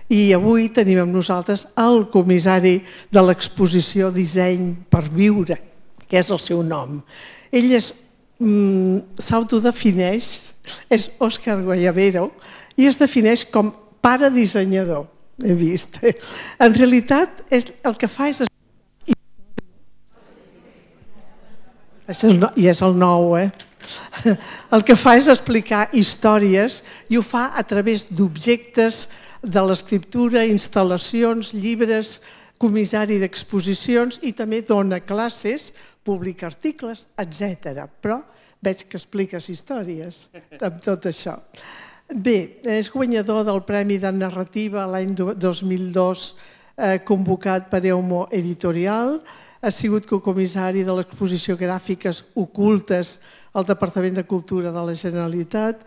I avui tenim amb nosaltres el comissari de l'exposició Disseny per Viure, que és el seu nom. Ell s'autodefineix, és Òscar Guayabero, i es defineix com pare dissenyador, he vist. En realitat, el que fa és... I és el nou, El que fa és explicar històries i ho fa a través d'objectes de l'escriptura, instal·lacions, llibres, comissari d'exposicions i també dona classes, publica articles, etc. Però veig que expliques històries amb tot això. Bé, és guanyador del Premi de Narrativa l'any 2002 convocat per Eumo Editorial, ha sigut cocomissari de l'exposició Gràfiques Ocultes al Departament de Cultura de la Generalitat.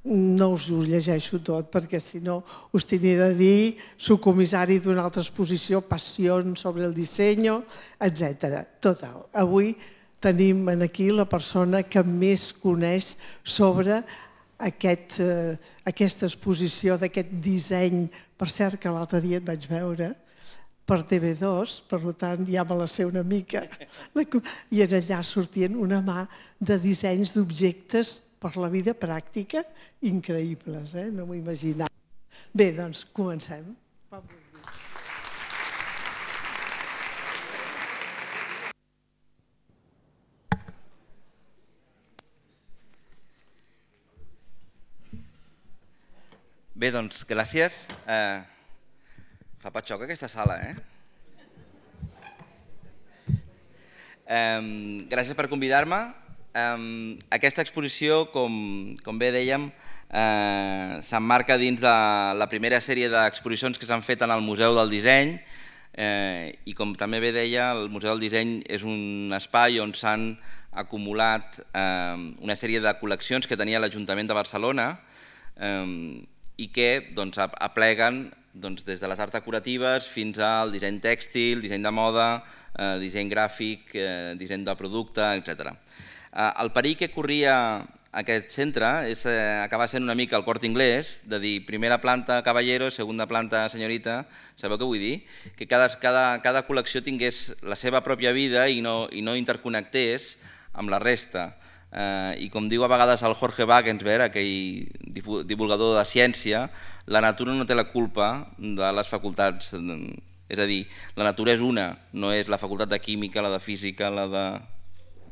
No us ho llegeixo tot perquè si no us tindria de dir subcomissari d'una altra exposició, Passions sobre el disseny, etc. Total, avui tenim aquí la persona que més coneix sobre aquesta exposició d'aquest disseny. Per cert, que l'altre dia et vaig veure per TV2, per tant ja me la sé una mica, i allà sortien una mà de dissenys d'objectes per la vida pràctica increïbles, no m'ho imaginava. Bé, doncs comencem. Bé, doncs gràcies. Fa patxoca aquesta sala, Gràcies per convidar-me. Aquesta exposició, com bé dèiem, s'emmarca dins de la primera sèrie d'exposicions que s'han fet en el Museu del Disseny i com també bé deia, el Museu del Disseny és un espai on s'han acumulat una sèrie de col·leccions que tenia l'Ajuntament de Barcelona i que apleguen des de les arts decoratives fins al disseny tèxtil, disseny de moda, disseny gràfic, disseny de producte, etc. El perill que corria aquest centre és acabar sent una mica el Corte Inglés, de dir primera planta caballero, segona planta senyorita, sabeu què vull dir? Que cada col·lecció tingués la seva pròpia vida i no interconnectés amb la resta. I com diu a vegades el Jorge Wagensberg, aquell divulgador de ciència, la natura no té la culpa de les facultats, és a dir, la natura és una, no és la facultat de química, la de física, la de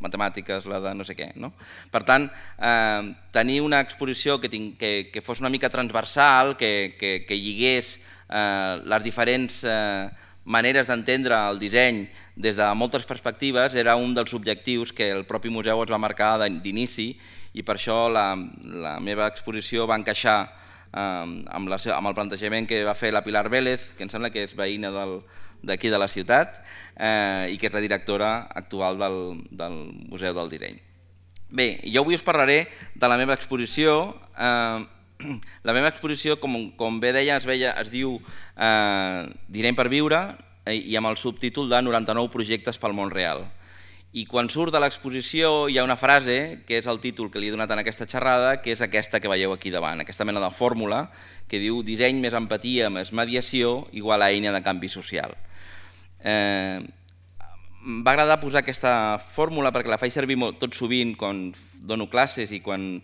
matemàtiques, la de no sé què. Per tant, tenir una exposició que fos una mica transversal, que lligués les diferents maneres d'entendre el disseny des de moltes perspectives era un dels objectius que el propi museu es va marcar d'inici i per això la meva exposició va encaixar amb el plantejament que va fer la Pilar Vélez, que em sembla que és veïna d'aquí de la ciutat i que és la directora actual del Museu del Disseny. Bé, jo avui us parlaré de la meva exposició. La meva exposició, com bé deia, es diu Disseny per Viure i amb el subtítol de 99 projectes pel món real. I quan surt de l'exposició hi ha una frase, que és el títol que li he donat en aquesta xerrada, que és aquesta que veieu aquí davant, aquesta mena de fórmula que diu disseny més empatia més mediació igual a eina de canvi social. M'va agradar posar aquesta fórmula perquè la faig servir tot sovint quan dono classes i quan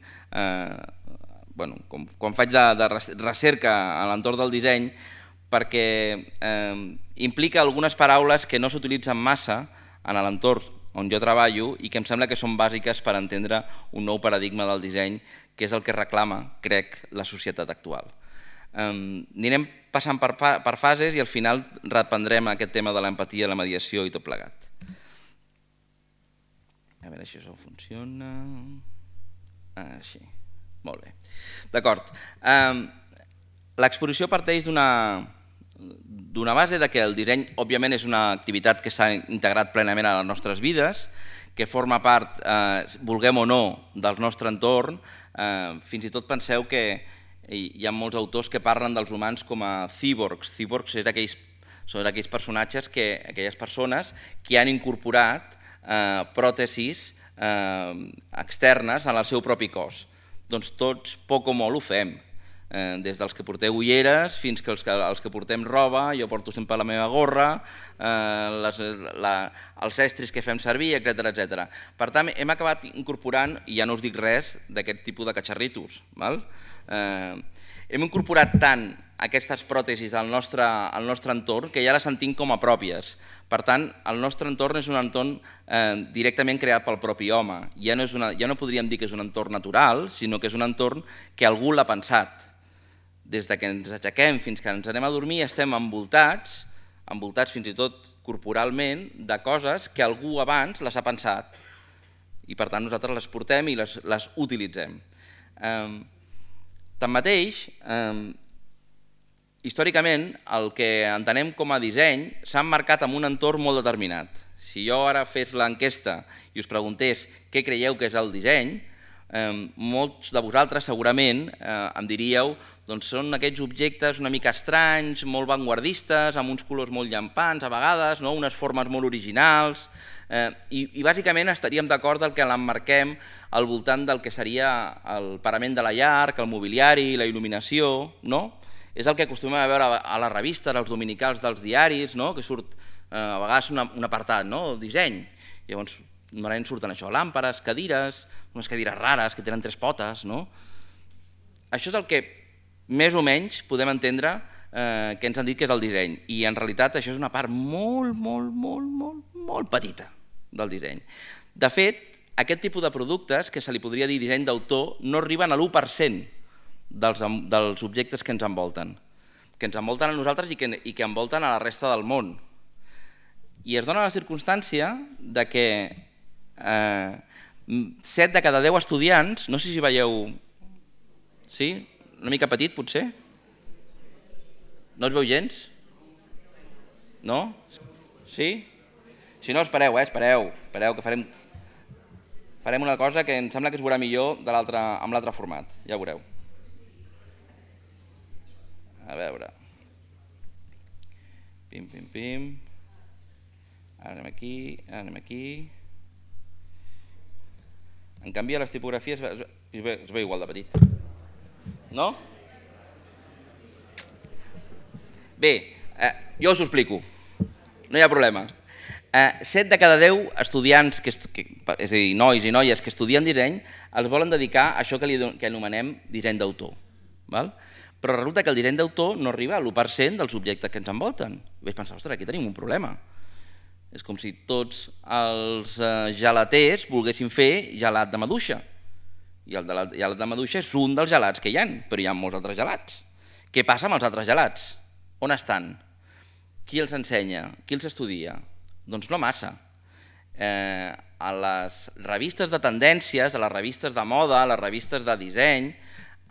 faig de recerca a l'entorn del disseny, perquè implica algunes paraules que no s'utilitzen massa en l'entorn on jo treballo i que em sembla que són bàsiques per entendre un nou paradigma del disseny, que és el que reclama, crec, la societat actual. Anirem passant per fases i al final reprendrem aquest tema de l'empatia, la mediació i tot plegat. A veure si això funciona... Així, molt bé. D'acord. L'exposició parteix d'una base que el disseny, òbviament, és una activitat que s'ha integrat plenament a les nostres vides, que forma part, vulguem o no, del nostre entorn. Fins i tot penseu que hi ha molts autors que parlen dels humans com a cíborgs. Cíborgs són aquells personatges, aquelles persones que han incorporat pròtesis externes en el seu propi cos. Doncs tots, poc o molt, ho fem. des dels que porteu ulleres fins que els que portem roba, jo porto sempre la meva gorra, els estris que fem servir, etc. Per tant, hem acabat incorporant, i ja no us dic res, d'aquest tipus de catxarritos. Hem incorporat tant aquestes pròtesis al nostre entorn que ja les sentim com a pròpies. Per tant, el nostre entorn és un entorn directament creat pel propi home. Ja no podríem dir que és un entorn natural, sinó que és un entorn que algú l'ha pensat. Des que ens aixequem fins que ens anem a dormir estem envoltats fins i tot corporalment, de coses que algú abans les ha pensat. I per tant nosaltres les portem i les utilitzem. Tanmateix, històricament, el que entenem com a disseny s'ha emmarcat en un entorn molt determinat. Si jo ara fes l'enquesta i us preguntés què creieu que és el disseny, molts de vosaltres segurament em diríeu doncs són aquests objectes una mica estranys, molt vanguardistes, amb uns colors molt llampants a vegades, unes formes molt originals, i bàsicament estaríem d'acord que l'emmarquem al voltant del que seria el parament de la llar, el mobiliari, la il·luminació, no? És el que acostumem a veure a les revistes, als dominicals dels diaris, que surt a vegades un apartat, disseny. Llavors, normalment surten això, làmperes, cadires, unes cadires rares que tenen 3 potes. Això és el que més o menys podem entendre que ens han dit que és el disseny. I en realitat això és una part molt, molt, molt, molt, molt petita del disseny. De fet, aquest tipus de productes, que se li podria dir disseny d'autor, no arriben a l'1% dels objectes que ens envolten a nosaltres i que envolten a la resta del món. I es dona la circumstància que 7 de cada 10 estudiants, no sé si veieu, sí? Una mica petit potser? No es veu gens? No? Sí? Si no, espereu, que farem una cosa que em sembla que es veurà millor amb l'altre format, ja ho veureu. A veure. Pim, pim, pim. Ara anem aquí. En canvi, a les tipografies es veu igual de petit. No? Bé, jo us ho explico. No hi ha problema. 7 de cada 10 estudiants, és a dir, nois i noies que estudien disseny, els volen dedicar a això que anomenem disseny d'autor. Però resulta que el disseny d'autor no arriba a l'1% dels objectes que ens envolten. Vaig pensar, ostres, aquí tenim un problema. És com si tots els gelaters volguessin fer gelat de maduixa. I el gelat de maduixa és un dels gelats que hi ha, però hi ha molts altres gelats. Què passa amb els altres gelats? On estan? Qui els ensenya? Qui els estudia? Doncs no massa. A les revistes de tendències, a les revistes de moda, a les revistes de disseny,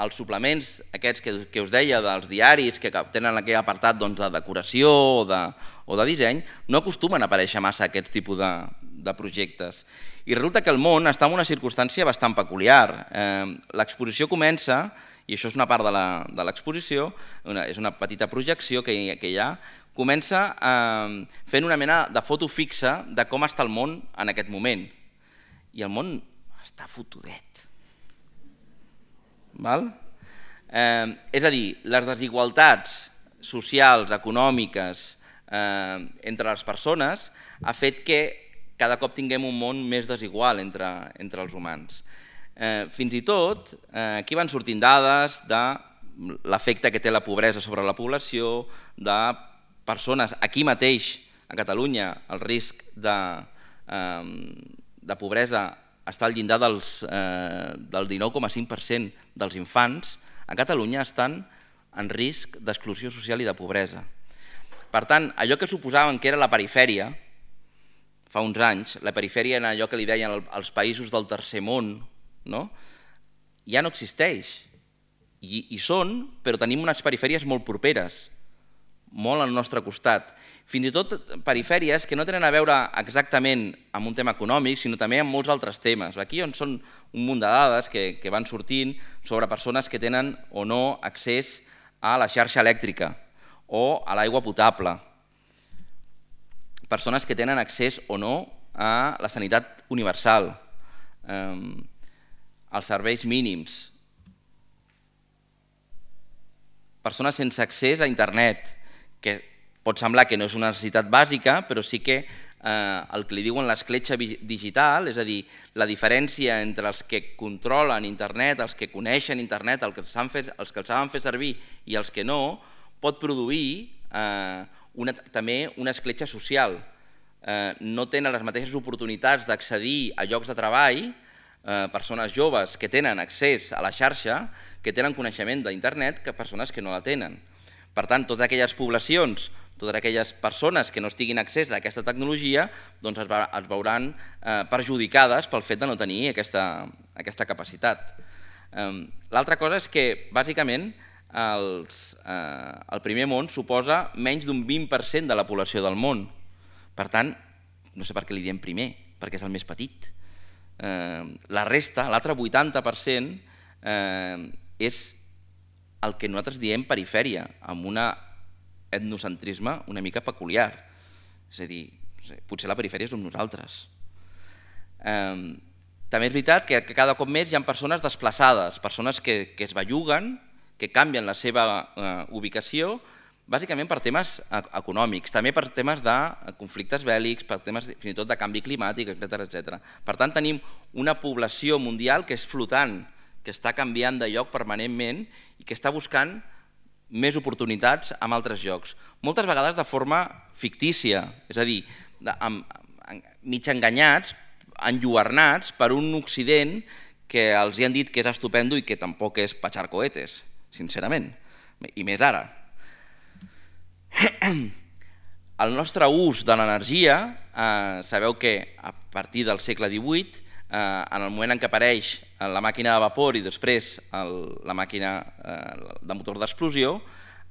els suplements aquests que us deia dels diaris que tenen aquell apartat de decoració o de disseny, no acostumen a aparèixer massa aquests tipus de projectes. I resulta que el món està en una circumstància bastant peculiar. L'exposició comença, i això és una part de l'exposició, és una petita projecció que hi ha, comença fent una mena de foto fixa de com està el món en aquest moment. I el món està fotudet. És a dir, les desigualtats socials, econòmiques entre les persones ha fet que cada cop tinguem un món més desigual entre els humans. Fins i tot, aquí van sortint dades de l'efecte que té la pobresa sobre la població, de persones, aquí mateix, a Catalunya, el risc de pobresa està al llindar del 19,5% dels infants a Catalunya estan en risc d'exclusió social i de pobresa. Per tant, allò que suposaven que era la perifèria, fa uns anys, la perifèria era allò que li deien els països del tercer món, ja no existeix. I són, però tenim unes perifèries molt properes, molt al nostre costat. Fins i tot perifèries que no tenen a veure exactament amb un tema econòmic, sinó també amb molts altres temes. Aquí són un munt de dades que van sortint sobre persones que tenen o no accés a la xarxa elèctrica o a l'aigua potable. Persones que tenen accés o no a la sanitat universal, als serveis mínims. persones sense accés a internet, que pot semblar que no és una necessitat bàsica, però sí que el que li diuen l'escletxa digital, és a dir, la diferència entre els que controlen internet, els que coneixen internet, els que el saben fer servir i els que no, pot produir també una escletxa social. No tenen les mateixes oportunitats d'accedir a llocs de treball, persones joves que tenen accés a la xarxa, que tenen coneixement d'internet, que persones que no la tenen. Per tant, totes aquelles poblacions, totes aquelles persones que no estiguin accés a aquesta tecnologia es veuran perjudicades pel fet de no tenir aquesta capacitat. L'altra cosa és que, bàsicament, el primer món suposa menys d'un 20% de la població del món. Per tant, no sé per què li diem primer, perquè és el més petit. La resta, l'altre 80%, és el que nosaltres diem perifèria, amb un etnocentrisme una mica peculiar. És a dir, potser la perifèria som nosaltres. També és veritat que cada cop més hi ha persones desplaçades, persones que es belluguen, que canvien la seva ubicació, bàsicament per temes econòmics, també per temes de conflictes bèl·lics, per temes fins i tot de canvi climàtic, etc. Per tant, tenim una població mundial que és flotant, que està canviant de lloc permanentment i que està buscant més oportunitats en altres llocs. Moltes vegades de forma fictícia, és a dir, mig enganyats, enlluernats per un Occident que els hi han dit que és estupendo i que tampoc és petxar cohetes, sincerament, i més ara. El nostre ús de l'energia, sabeu que a partir del segle XVIII, en el moment en què apareix la màquina de vapor i després la màquina de motor d'explosió,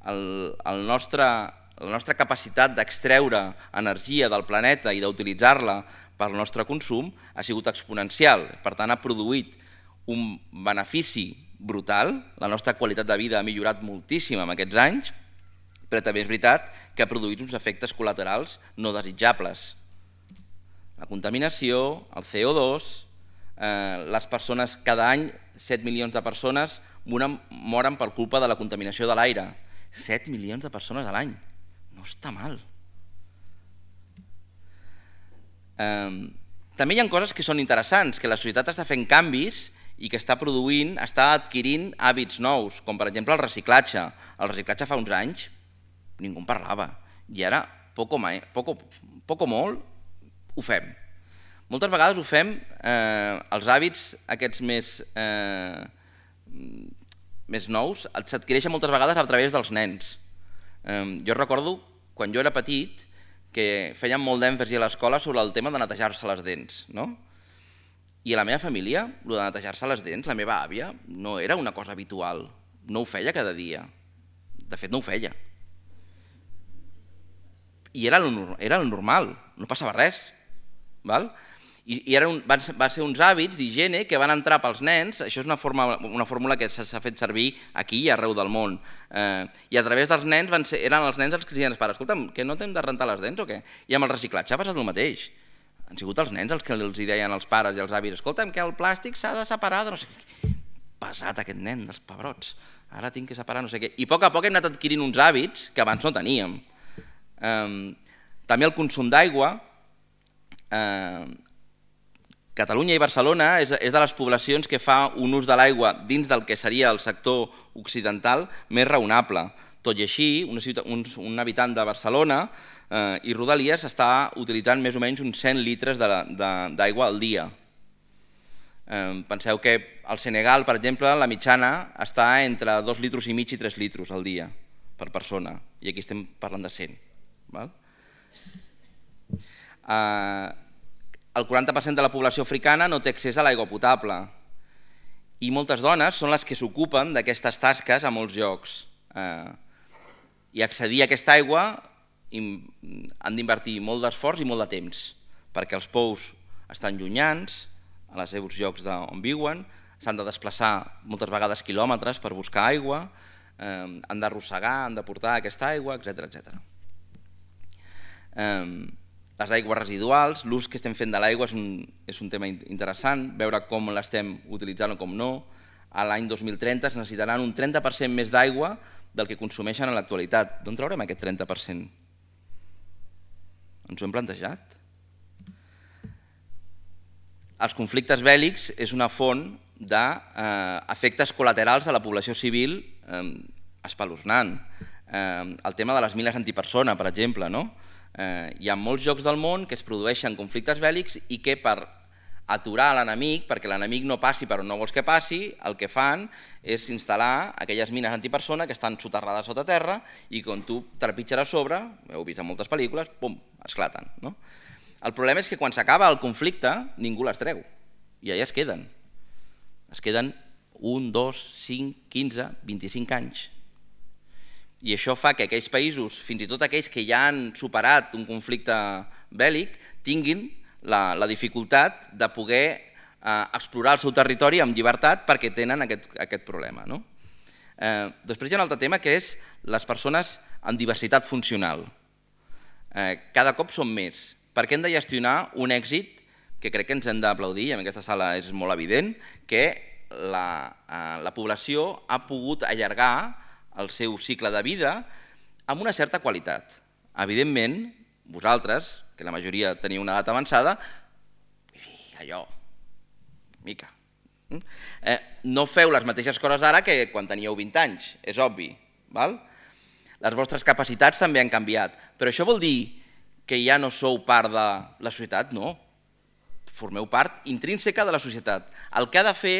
la nostra capacitat d'extreure energia del planeta i d'utilitzar-la per al nostre consum ha sigut exponencial. Per tant, ha produït un benefici brutal, la nostra qualitat de vida ha millorat moltíssim en aquests anys, però també és veritat que ha produït uns efectes col·laterals no desitjables. La contaminació, el CO2, les persones, cada any 7 milions de persones moren per culpa de la contaminació de l'aire. 7 milions de persones a l'any, no està mal. També hi ha coses que són interessants, que la societat està fent canvis i que està produint, està adquirint hàbits nous, com per exemple el reciclatge. El reciclatge fa uns anys ningú en parlava i ara, poc o molt, ho fem. Moltes vegades ho fem, els hàbits aquests més nous s'adquireixen moltes vegades a través dels nens. Jo recordo, quan jo era petit, que feien molt d'èmfasi a l'escola sobre el tema de netejar-se les dents. I a la meva família, el de netejar-se les dents, la meva àvia, no era una cosa habitual, no ho feia cada dia. De fet, no ho feia. I era el normal, no passava res. I van ser uns hàbits d'higiene que van entrar pels nens, això és una fórmula que s'ha fet servir aquí i arreu del món, i a través dels nens eren els nens els que deien als pares, escolta'm, que no t'hem de rentar les dents o què? I amb el reciclatge ha passat el mateix. Han sigut els nens els que els deien als pares i als avis, escolta'm, que el plàstic s'ha de separar de no sé què. Pesat aquest nen dels pebrots, ara tinc que separar no sé què. I a poc hem anat adquirint uns hàbits que abans no teníem. També el consum d'aigua. Catalunya i Barcelona és de les poblacions que fa un ús de l'aigua dins del que seria el sector occidental més raonable. Tot i així, un habitant de Barcelona i Rodalies està utilitzant més o menys uns 100 litres d'aigua al dia. Penseu que al Senegal, per exemple, la mitjana està entre 2,5 litres i 3 litres al dia per persona, i aquí estem parlant de 100. El 40% de la població africana no té accés a l'aigua potable i moltes dones són les que s'ocupen d'aquestes tasques a molts llocs. I accedir a aquesta aigua han d'invertir molt d'esforç i molt de temps, perquè els pous estan llunyans, a els seus llocs on viuen, s'han de desplaçar moltes vegades quilòmetres per buscar aigua, han d'arrossegar, han de portar aquesta aigua, etc. Les aigües residuals, l'ús que estem fent de l'aigua és un tema interessant, veure com l'estem utilitzant o com no. A l'any 2030 es necessitaran un 30% més d'aigua del que consumeixen en l'actualitat. D'on traurem aquest 30%? Ens ho hem plantejat? Els conflictes bèl·lics és una font d'efectes col·laterals a la població civil espeluznant. El tema de les mines antipersona, per exemple. Hi ha molts llocs del món que es produeixen conflictes bèl·lics i que per aturar l'enemic, perquè l'enemic no passi per on no vols que passi, el que fan és instal·lar aquelles mines antipersona que estan soterrades sota terra i quan tu trepitges a sobre, heu vist en moltes pel·lícules, pum, esclaten. El problema és que quan s'acaba el conflicte ningú les treu i allà es queden. Es queden 1, 2, 5, 15, 25 anys. I això fa que aquells països, fins i tot aquells que ja han superat un conflicte bèl·lic, tinguin la dificultat de poder explorar el seu territori amb llibertat perquè tenen aquest problema. Després hi ha un altre tema que és les persones amb diversitat funcional. Cada cop són més, perquè hem de gestionar un èxit que crec que ens hem d'aplaudir, i en aquesta sala és molt evident, que la població ha pogut allargar el seu cicle de vida amb una certa qualitat. Evidentment, vosaltres, que la majoria teniu una edat avançada, allò, mica. No feu les mateixes coses ara que quan teníeu 20 anys, és obvi. Les vostres capacitats també han canviat, però això vol dir que ja no sou part de la societat? No, formeu part intrínseca de la societat. El que ha de fer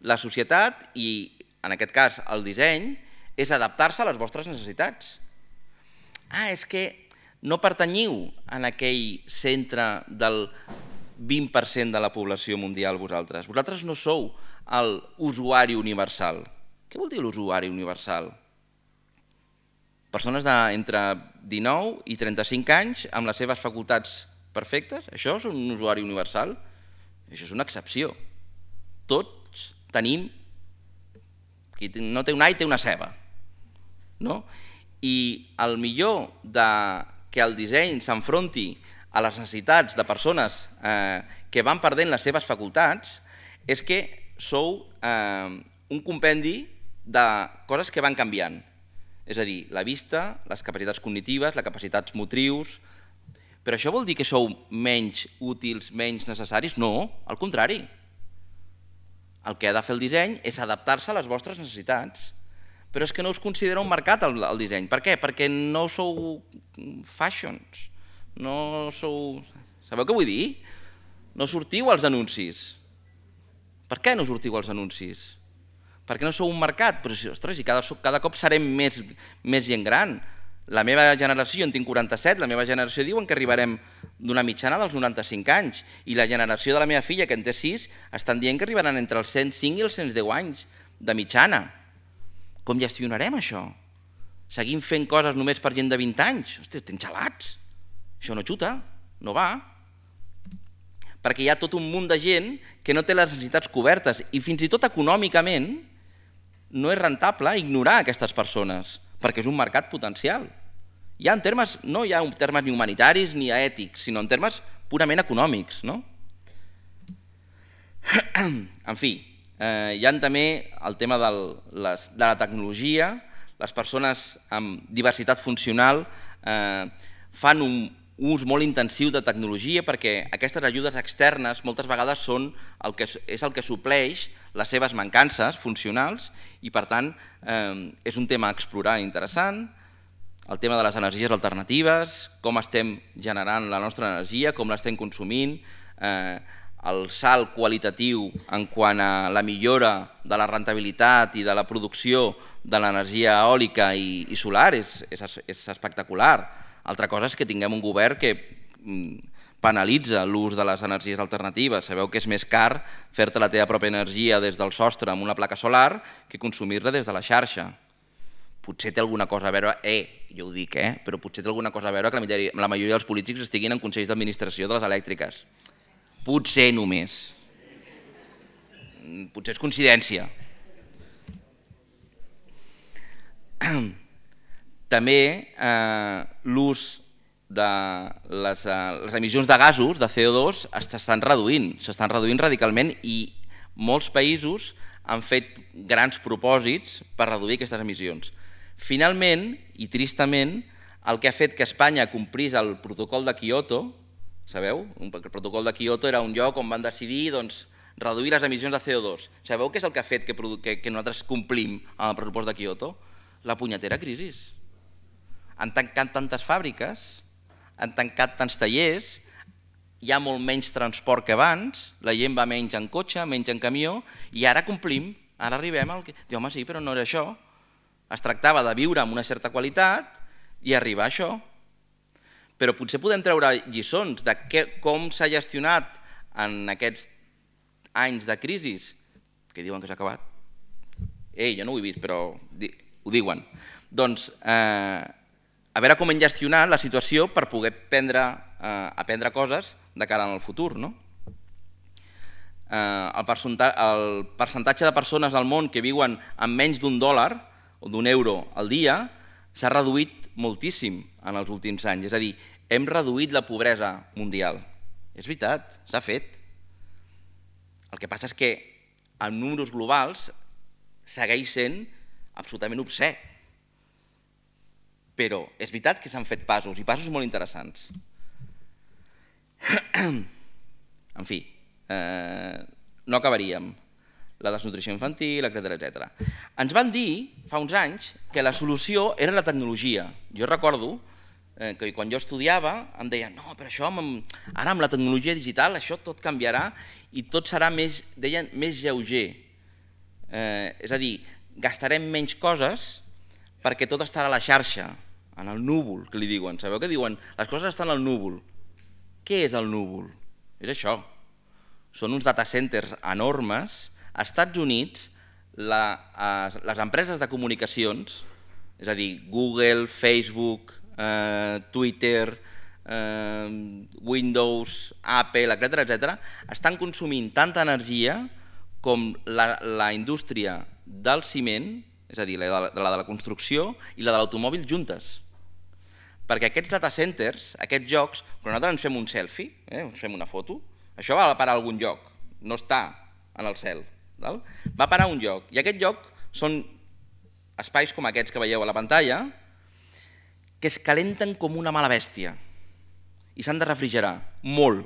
la societat, i en aquest cas el disseny, és adaptar-se a les vostres necessitats. És que no pertanyiu en aquell centre del 20% de la població mundial vosaltres. Vosaltres no sou l'usuari universal. Què vol dir l'usuari universal? Persones d'entre 19 i 35 anys amb les seves facultats perfectes? Això és un usuari universal? Això és una excepció. Tots tenim... Qui no té un all té una ceba. I el millor que el disseny s'enfronti a les necessitats de persones que van perdent les seves facultats és que sou un compendi de coses que van canviant. És a dir, la vista, les capacitats cognitives, les capacitats motrius... Però això vol dir que sou menys útils, menys necessaris? No, al contrari. El que ha de fer el disseny és adaptar-se a les vostres necessitats. Però és que no us considera un mercat el disseny. Per què? Perquè no sou fashions. No sou... Sabeu què vull dir? No sortiu als anuncis. Per què no sortiu als anuncis? Perquè no sou un mercat. Però, ostres, i cada cop serem més gent gran. La meva generació, jo en tinc 47, la meva generació diuen que arribarem d'una mitjana dels 95 anys. I la generació de la meva filla, que en té 6, estan dient que arribaran entre els 105 i els 110 anys de mitjana. Com gestionarem això? Seguim fent coses només per gent de 20 anys? Ostres, estem gelats. Això no xuta, no va. Perquè hi ha tot un munt de gent que no té les necessitats cobertes i fins i tot econòmicament no és rentable ignorar aquestes persones perquè és un mercat potencial. No hi ha termes ni humanitaris ni ètics, sinó en termes purament econòmics. En fi, hi ha també el tema de la tecnologia. Les persones amb diversitat funcional fan un ús molt intensiu de tecnologia perquè aquestes ajudes externes moltes vegades és el que supleix les seves mancances funcionals i per tant és un tema a explorar interessant. El tema de les energies alternatives, com estem generant la nostra energia, com l'estem consumint, el salt qualitatiu en quant a la millora de la rentabilitat i de la producció de l'energia eòlica i solar és espectacular. Altra cosa és que tinguem un govern que penalitza l'ús de les energies alternatives. Sabeu que és més car fer-te la teva pròpia energia des del sostre amb una placa solar que consumir-la des de la xarxa. Potser té alguna cosa a veure, jo ho dic, però potser té alguna cosa a veure que la majoria dels polítics estiguin en consells d'administració de les elèctriques. Potser només. Potser és coincidència. També l'ús de les emissions de gasos, de CO2, s'estan reduint radicalment i molts països han fet grans propòsits per reduir aquestes emissions. Finalment, i tristament, el que ha fet que Espanya complís el protocol de Kyoto, sabeu? El protocol de Kyoto era un lloc on van decidir reduir les emissions de CO2. Sabeu què és el que ha fet que nosaltres complim amb el pressupost de Kyoto? La punyetera crisi. Han tancat tantes fàbriques, han tancat tants tallers, hi ha molt menys transport que abans, la gent va menys en cotxe, menys en camió, i ara complim, ara arribem al que... Diu, home, sí, però no era això. Es tractava de viure amb una certa qualitat i arribar a això. Però potser podem treure lliçons de com s'ha gestionat en aquests anys de crisi, que diuen que s'ha acabat. Jo no ho he vist, però ho diuen. Doncs a veure com hem gestionat la situació per poder aprendre coses de cara al futur. El percentatge de persones al món que viuen amb menys d'$1 o d'€1 al dia s'ha reduït moltíssim en els últims anys. És a dir, hem reduït la pobresa mundial. És veritat, s'ha fet. El que passa és que en números globals segueix sent absolutament obscè. Però és veritat que s'han fet passos, i passos molt interessants. En fi, no acabaríem. La desnutrició infantil, etc. Ens van dir, fa uns anys, que la solució era la tecnologia. Jo recordo que quan jo estudiava em deien no, però això, ara amb la tecnologia digital això tot canviarà i tot serà més lleuger. És a dir, gastarem menys coses perquè tot estarà a la xarxa, en el núvol, que li diuen. Sabeu què diuen? Les coses estan al núvol. Què és el núvol? És això. Són uns data centers enormes. Als Estats Units, les empreses de comunicacions, és a dir, Google, Facebook, Twitter, Windows, Apple, etc., estan consumint tanta energia com la indústria del ciment, és a dir, la de la construcció i la de l'automòbil juntes. Perquè aquests data centers, aquests jocs, quan nosaltres ens fem un selfie, ens fem una foto, això va parar a algun lloc, no està en el cel. Va parar a un lloc, i aquest lloc són espais com aquests que veieu a la pantalla que es calenten com una mala bèstia i s'han de refrigerar molt.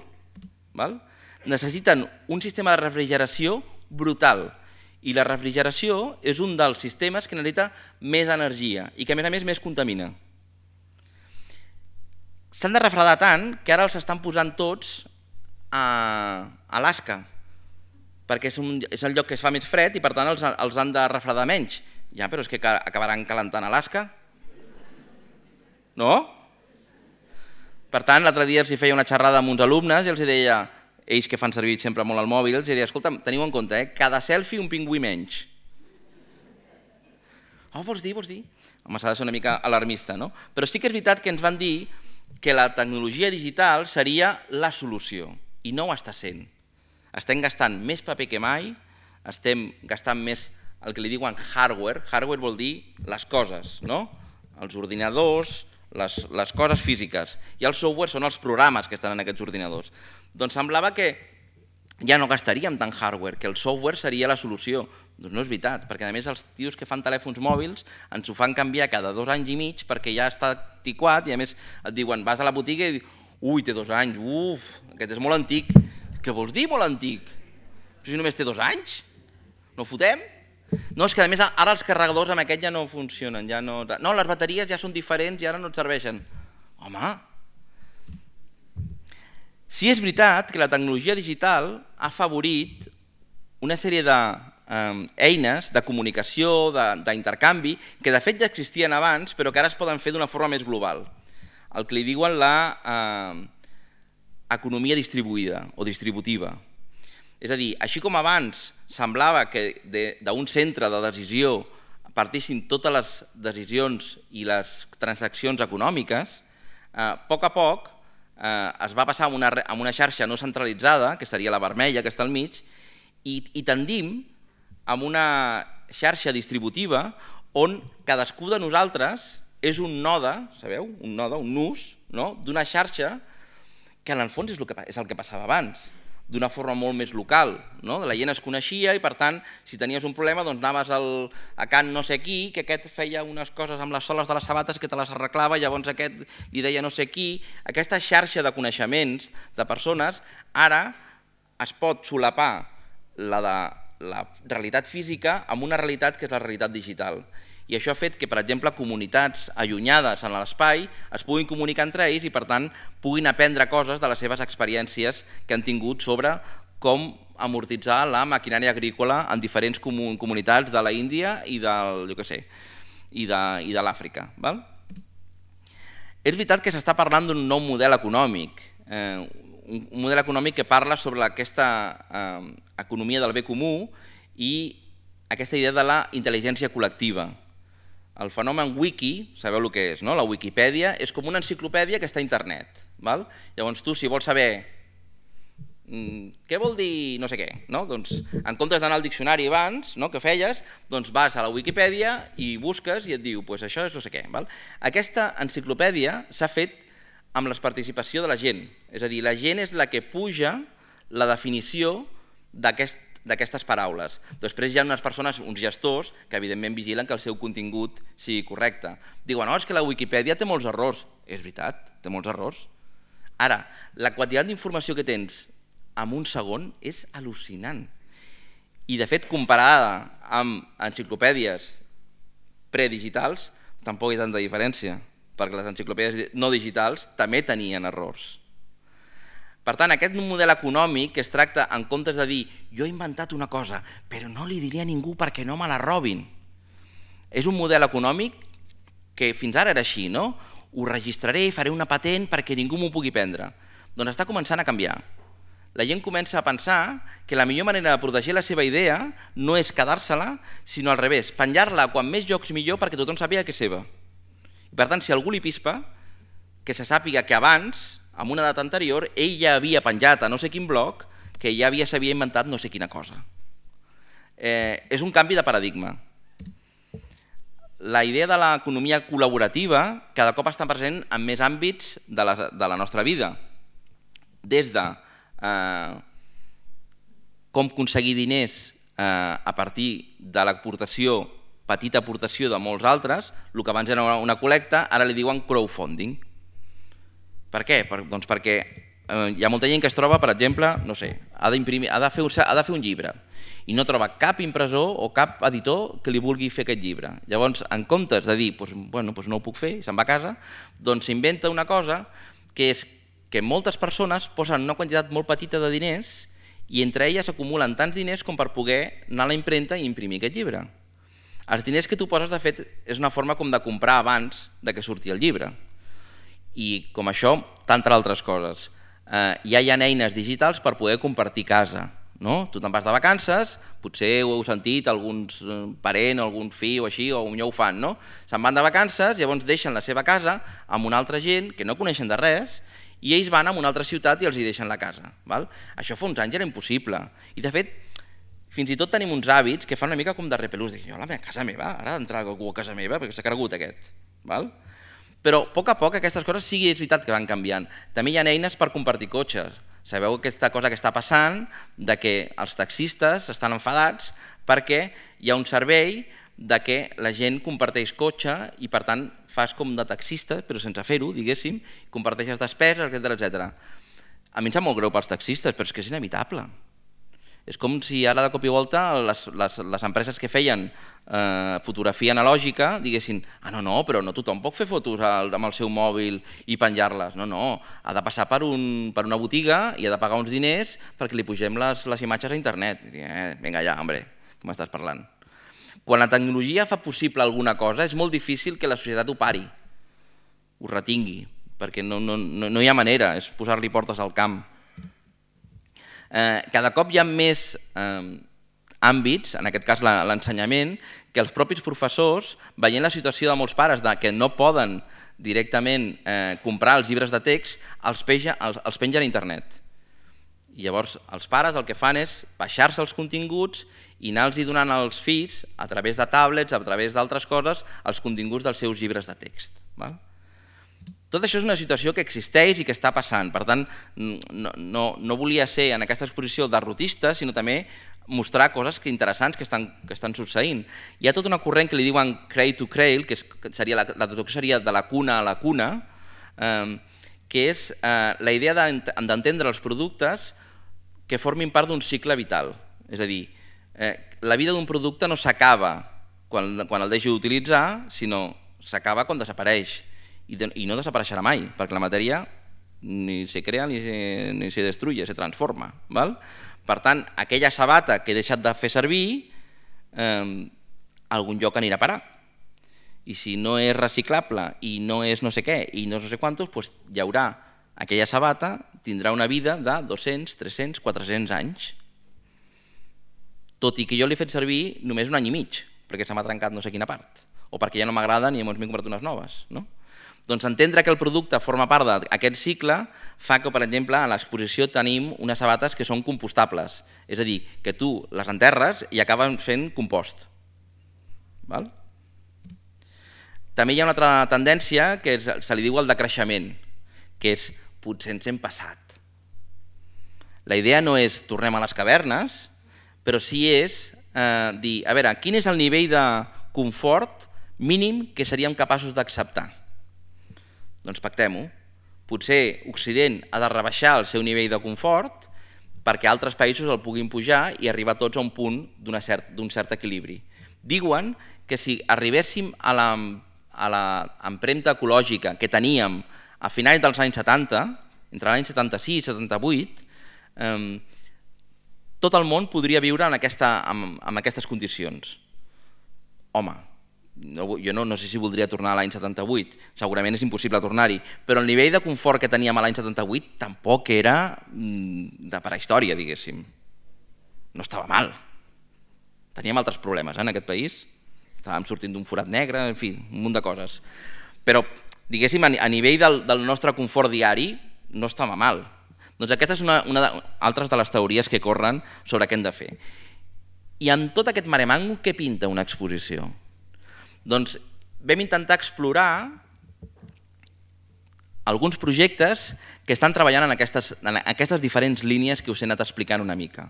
Necessiten un sistema de refrigeració brutal i la refrigeració és un dels sistemes que necessita més energia i que a més contamina. S'han de refredar tant que ara els estan posant tots a Alaska, perquè és el lloc que es fa més fred i per tant els han de refredar menys. Ja, però és que acabaran calentant Alaska. No? Per tant, l'altre dia els feia una xerrada amb uns alumnes i els deia, ells que fan servir sempre molt el mòbil, els deia, escolta, teniu en compte, cada selfie un pingüí menys. Vols dir? Home, s'ha de ser una mica alarmista, no? Però sí que és veritat que ens van dir que la tecnologia digital seria la solució i no ho està sent. Estem gastant més paper que mai, estem gastant més el que li diuen hardware. Hardware vol dir les coses, no? Els ordinadors, les coses físiques. I el software són els programes que estan en aquests ordinadors. Doncs semblava que ja no gastaríem tant hardware, que el software seria la solució. Doncs no és veritat, perquè a més els tios que fan telèfons mòbils ens ho fan canviar cada 2 anys i mig perquè ja està antiquat i a més et diuen, vas a la botiga i ui, té 2 anys, aquest és molt antic. Què vols dir molt antic? Si només té 2 anys? No fotem? No, és que a més ara els carregadors amb aquest ja no funcionen. No, les bateries ja són diferents i ara no et serveixen. Home! Sí és veritat que la tecnologia digital ha afavorit una sèrie d'eines de comunicació, d'intercanvi, que de fet ja existien abans, però que ara es poden fer d'una forma més global. El que li diuen l'economia distribuïda o distributiva. És a dir, així com abans semblava que d'un centre de decisió partissin totes les decisions i les transaccions econòmiques, a poc es va passar a una xarxa no centralitzada, que seria la vermella, que està al mig, i tendim a una xarxa distributiva on cadascú de nosaltres és un node, sabeu? Un node, un nus, d'una xarxa que en el fons és el que passava abans. d'una forma molt més local. La gent es coneixia i, per tant, si tenies un problema, doncs anaves a Can no sé qui, que aquest feia unes coses amb les soles de les sabates que te les arreglava, llavors aquest li deia no sé qui. Aquesta xarxa de coneixements de persones ara es pot solapar la de la realitat física amb una realitat que és la realitat digital. I això ha fet que, per exemple, comunitats allunyades en l'espai es puguin comunicar entre ells i, per tant, puguin aprendre coses de les seves experiències que han tingut sobre com amortitzar la maquinària agrícola en diferents comunitats de l'Índia i de l'Àfrica. És veritat que s'està parlant d'un nou model econòmic, un model econòmic que parla sobre aquesta economia del bé comú i aquesta idea de la intel·ligència col·lectiva. El fenomen wiki, sabeu el que és, no? La Wikipedia és com una enciclopèdia que està a internet. Llavors tu, si vols saber què vol dir no sé què, doncs en comptes d'anar al diccionari abans, que feies, doncs vas a la Wikipedia i busques i et diu això és no sé què. Aquesta enciclopèdia s'ha fet amb la participació de la gent, és a dir, la gent és la que puja la definició d'aquestes paraules. Després hi ha unes persones, uns gestors, que evidentment vigilen que el seu contingut sigui correcte. Diuen, no, és que la Wikipedia té molts errors. És veritat, té molts errors. Ara, la quantitat d'informació que tens en un segon és al·lucinant. I, de fet, comparada amb enciclopèdies predigitals, tampoc hi ha tanta diferència, perquè les enciclopèdies no digitals també tenien errors. Per tant, aquest model econòmic que es tracta, en comptes de dir jo he inventat una cosa, però no li diré a ningú perquè no me la robin. És un model econòmic que fins ara era així, no? Ho registraré, faré una patent perquè ningú m'ho pugui prendre. Doncs està començant a canviar. La gent comença a pensar que la millor manera de protegir la seva idea no és quedar-se-la, sinó al revés, penjar-la quan més llocs millor perquè tothom sàpiga que és seva. I per tant, si algú li pispa, que se sàpiga que abans, en una data anterior, ell ja havia penjat a no sé quin blog que ja s'havia inventat no sé quina cosa. És un canvi de paradigma. La idea de l'economia col·laborativa cada cop està present en més àmbits de la nostra vida. Des de com aconseguir diners a partir de l'aportació, petita aportació de molts altres, el que abans era una col·lecta, ara li diuen crowdfunding. Per què? Doncs perquè hi ha molta gent que es troba, per exemple, no sé, ha de fer un llibre i no troba cap impressor o cap editor que li vulgui fer aquest llibre. Llavors, en comptes de dir no ho puc fer, se'n va a casa, doncs s'inventa una cosa que és que moltes persones posen una quantitat molt petita de diners i entre elles acumulen tants diners com per poder anar a la impremta i imprimir aquest llibre. Els diners que tu poses, de fet, és una forma com de comprar abans que surti el llibre. I com això, tantes altres coses. Ja hi ha eines digitals per poder compartir casa. Tu te'n vas de vacances, potser ho heu sentit, alguns parent o algun fill o així, o ja ho fan. Se'n van de vacances, llavors deixen la seva casa amb una altra gent que no coneixen de res i ells van a una altra ciutat i els hi deixen la casa. Això fa uns anys era impossible. I de fet, fins i tot tenim uns hàbits que fan una mica com de repelús. Dic, a casa meva, ara ha d'entrar algú a casa meva perquè s'ha cregut aquest. Però a poc aquestes coses sí que és veritat que van canviant. També hi ha eines per compartir cotxes. Sabeu aquesta cosa que està passant de que els taxistes estan enfadats perquè hi ha un servei de que la gent comparteix cotxe i per tant fas com de taxista, però sense fer-ho, diguéssim, comparteixes despeses, etc. A mi em sap molt greu pels taxistes, però és que és inevitable. És com si ara de cop i volta les empreses que feien fotografia analògica diguessin no, però no tothom pot fer fotos amb el seu mòbil i penjar-les. No, ha de passar per una botiga i ha de pagar uns diners perquè li pugem les imatges a internet. Vinga ja, home, què m'estàs parlant? Quan la tecnologia fa possible alguna cosa és molt difícil que la societat ho pari, ho retingui, perquè no hi ha manera, és posar-li portes al camp. Cada cop hi ha més àmbits, en aquest cas l'ensenyament, que els propis professors, veient la situació de molts pares que no poden directament comprar els llibres de text, els pengen a internet. I llavors els pares el que fan és baixar-se els continguts i anar-los donant als fills, a través de tablets, a través d'altres coses, els continguts dels seus llibres de text. Tot això és una situació que existeix i que està passant. Per tant, no volia ser en aquesta exposició derrotista, sinó també mostrar coses interessants que estan succeint. Hi ha tot un corrent que li diuen cradle to cradle, que la traducció seria de la cuna a la cuna, que és la idea d'entendre els productes que formin part d'un cicle vital. És a dir, la vida d'un producte no s'acaba quan el deixi d'utilitzar, sinó s'acaba quan desapareix. I no desapareixerà mai, perquè la matèria ni se crea ni se destruye, se transforma. Per tant, aquella sabata que he deixat de fer servir, a algun lloc anirà a parar. I si no és reciclable i no és no sé què i no sé quantos, doncs hi haurà aquella sabata, tindrà una vida de 200, 300, 400 anys. Tot i que jo l'he fet servir només un any i mig, perquè se m'ha trencat no sé quina part, o perquè ja no m'agraden i llavors m'he comprat unes noves. Doncs entendre que el producte forma part d'aquest cicle fa que, per exemple, a l'exposició tenim unes sabates que són compostables, és a dir, que tu les enterres i acaben fent compost. També hi ha una altra tendència que se li diu el decreixement, que és potser ens hem passat. La idea no és tornem a les cavernes, però sí és dir, a veure, quin és el nivell de confort mínim que seríem capaços d'acceptar? Doncs pactem-ho. Potser Occident ha de rebaixar el seu nivell de confort perquè altres països el puguin pujar i arribar tots a un punt d'un cert equilibri. Diuen que si arribéssim a l'empremta ecològica que teníem a finals dels anys 70, entre l'any 76 i 78, tot el món podria viure en aquestes condicions. Home, jo no sé si voldria tornar a l'any 78, segurament és impossible tornar-hi, però el nivell de confort que teníem a l'any 78 tampoc era de prehistòria, diguéssim. No estava mal. Teníem altres problemes en aquest país, estàvem sortint d'un forat negre, en fi, un munt de coses. Però, diguéssim, a nivell del nostre confort diari no estava mal. Doncs aquesta és una altra de les teories que corren sobre què hem de fer. I en tot aquest maremango, què pinta una exposició? Doncs vam intentar explorar alguns projectes que estan treballant en aquestes diferents línies que us he anat explicant una mica.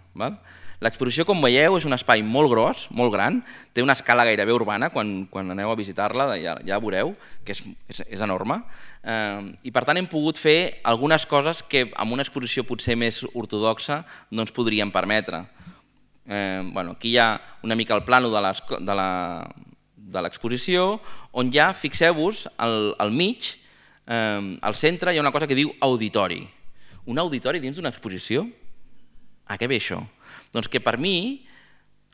L'exposició, com veieu, és un espai molt gros, molt gran, té una escala gairebé urbana, quan aneu a visitar-la ja veureu que és enorme, i per tant hem pogut fer algunes coses que amb una exposició potser més ortodoxa no ens podríem permetre. Aquí hi ha una mica el plano de l'exposició, on ja, fixeu-vos, al mig, al centre, hi ha una cosa que diu auditori. Un auditori dins d'una exposició? A què ve això? Doncs que per mi,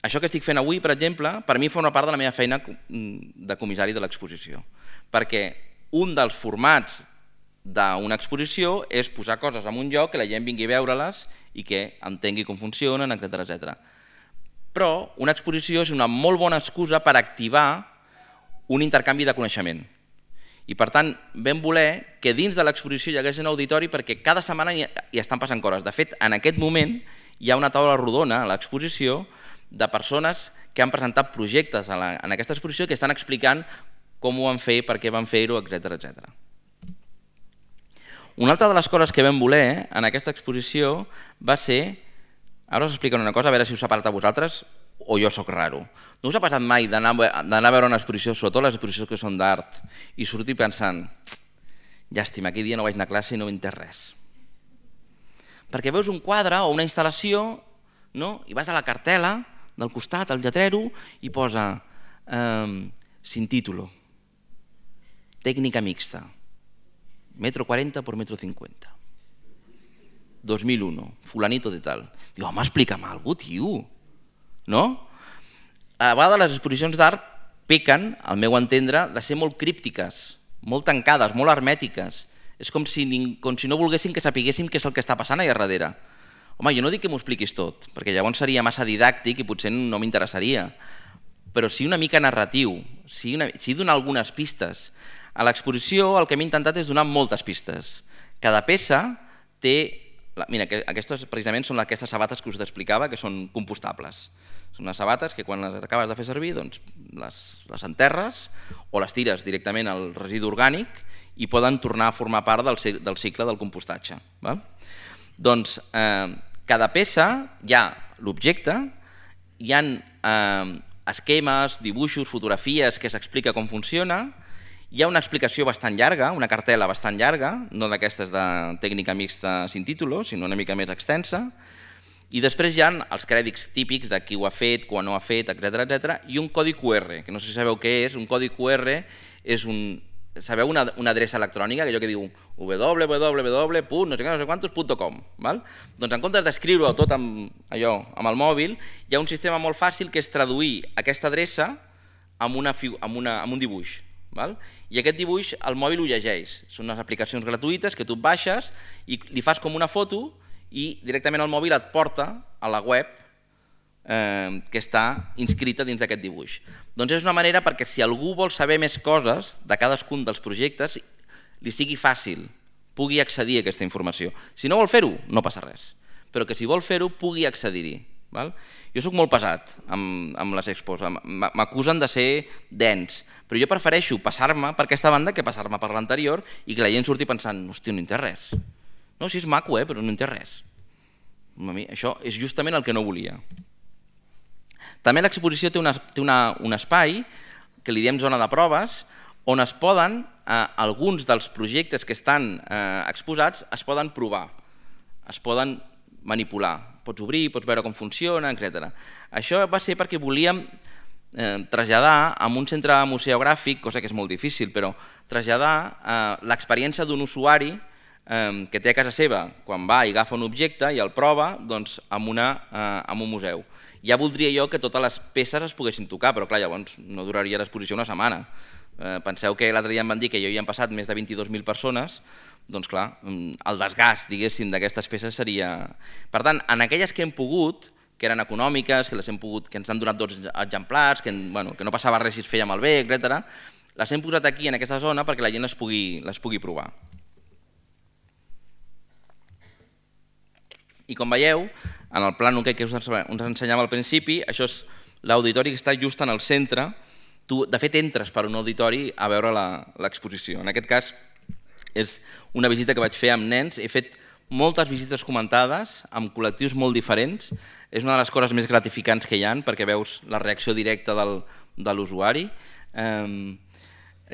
això que estic fent avui, per exemple, per mi forma part de la meva feina de comissari de l'exposició. Perquè un dels formats d'una exposició és posar coses en un lloc que la gent vingui a veure-les i que entengui com funcionen, etc. Però una exposició és una molt bona excusa per activar un intercanvi de coneixement. I per tant vam voler que dins de l'exposició hi hagués un auditori perquè cada setmana hi estan passant coses. De fet, en aquest moment hi ha una taula rodona a l'exposició de persones que han presentat projectes en aquesta exposició que estan explicant com ho van fer, per què van fer-ho, etc. Una altra de les coses que vam voler en aquesta exposició va ser, ara us explico una cosa, a veure si us ha parat a vosaltres o jo sóc raro. No us ha passat mai d'anar a veure una exposició, sobretot les exposicions que són d'art, i sortir pensant, llàstima, aquell dia no vaig anar a classe i no m'he entès res. Perquè veus un quadre o una instal·lació i vas a la cartel·la del costat, al lletrero, i posa sin título, tècnica mixta, 1,40 por 1,50 m. 2001, fulanito de tal. Diu, home, explica'm alguna cosa, tio. No? A vegades les exposicions d'art pequen, al meu entendre, de ser molt críptiques, molt tancades, molt hermètiques. És com si no volguessin que sapiguéssim què és el que està passant allà darrere. Home, jo no dic que m'ho expliquis tot, perquè llavors seria massa didàctic i potser no m'interessaria. Però sí una mica narratiu, sí donar algunes pistes. A l'exposició el que hem intentat és donar moltes pistes. Cada peça té... Mira, aquestes precisament són aquestes sabates que us explicava, que són compostables. Són unes sabates que quan les acabes de fer servir les enterres o les tires directament al residu orgànic i poden tornar a formar part del cicle del compostatge. Doncs cada peça hi ha l'objecte, hi ha esquemes, dibuixos, fotografies que s'explica com funciona, hi ha una explicació bastant llarga, una cartel·la bastant llarga, no d'aquestes de tècnica mixta sin título, sinó una mica més extensa, i després hi ha els crèdits típics de qui ho ha fet, quan no ho ha fet, etc. I un codi QR, que no sé si sabeu què és. Un codi QR és sabeu una adreça electrònica, allò que diu www.nosequantos.com. Doncs en comptes d'escriure-ho tot amb el mòbil, hi ha un sistema molt fàcil que és traduir aquesta adreça amb un dibuix. I aquest dibuix el mòbil ho llegeix. Són unes aplicacions gratuïtes que tu baixes i li fas com una foto i directament el mòbil et porta a la web que està inscrita dins d'aquest dibuix. Doncs és una manera perquè si algú vol saber més coses de cadascun dels projectes li sigui fàcil, pugui accedir a aquesta informació. Si no vol fer-ho, no passa res, però que si vol fer-ho pugui accedir-hi. Jo soc molt pesat amb les expos, m'acusen de ser dens, però jo prefereixo passar-me per aquesta banda que passar-me per l'anterior i que la gent surti pensant, hòstia, no hi té res. No, sí, és maco, però no hi té res. Això és justament el que no volia. També l'exposició té un espai, que li diem zona de proves, on es poden, alguns dels projectes que estan exposats, es poden provar, es poden manipular. Pots obrir, pots veure com funciona, etc. Això va ser perquè volíem traslladar a un centre museogràfic, cosa que és molt difícil, però traslladar l'experiència d'un usuari que té a casa seva, quan va i agafa un objecte i el prova en un museu. Ja voldria jo que totes les peces es poguessin tocar, però clar, llavors no duraria l'exposició una setmana. Penseu que l'altre dia em van dir que ja hi han passat més de 22.000 persones, doncs clar, el desgast, diguéssim, d'aquestes peces seria... Per tant, en aquelles que hem pogut, que eren econòmiques, que ens han donat 2 exemplars, que no passava res si es feia malbé, etc., les hem posat aquí, en aquesta zona, perquè la gent les pugui provar. I com veieu, en el plànol que us ensenyava al principi, això és l'auditori que està just en el centre. Tu, de fet, entres per un auditori a veure l'exposició. En aquest cas, és una visita que vaig fer amb nens. He fet moltes visites comentades amb col·lectius molt diferents. És una de les coses més gratificants que hi ha, perquè veus la reacció directa de l'usuari. La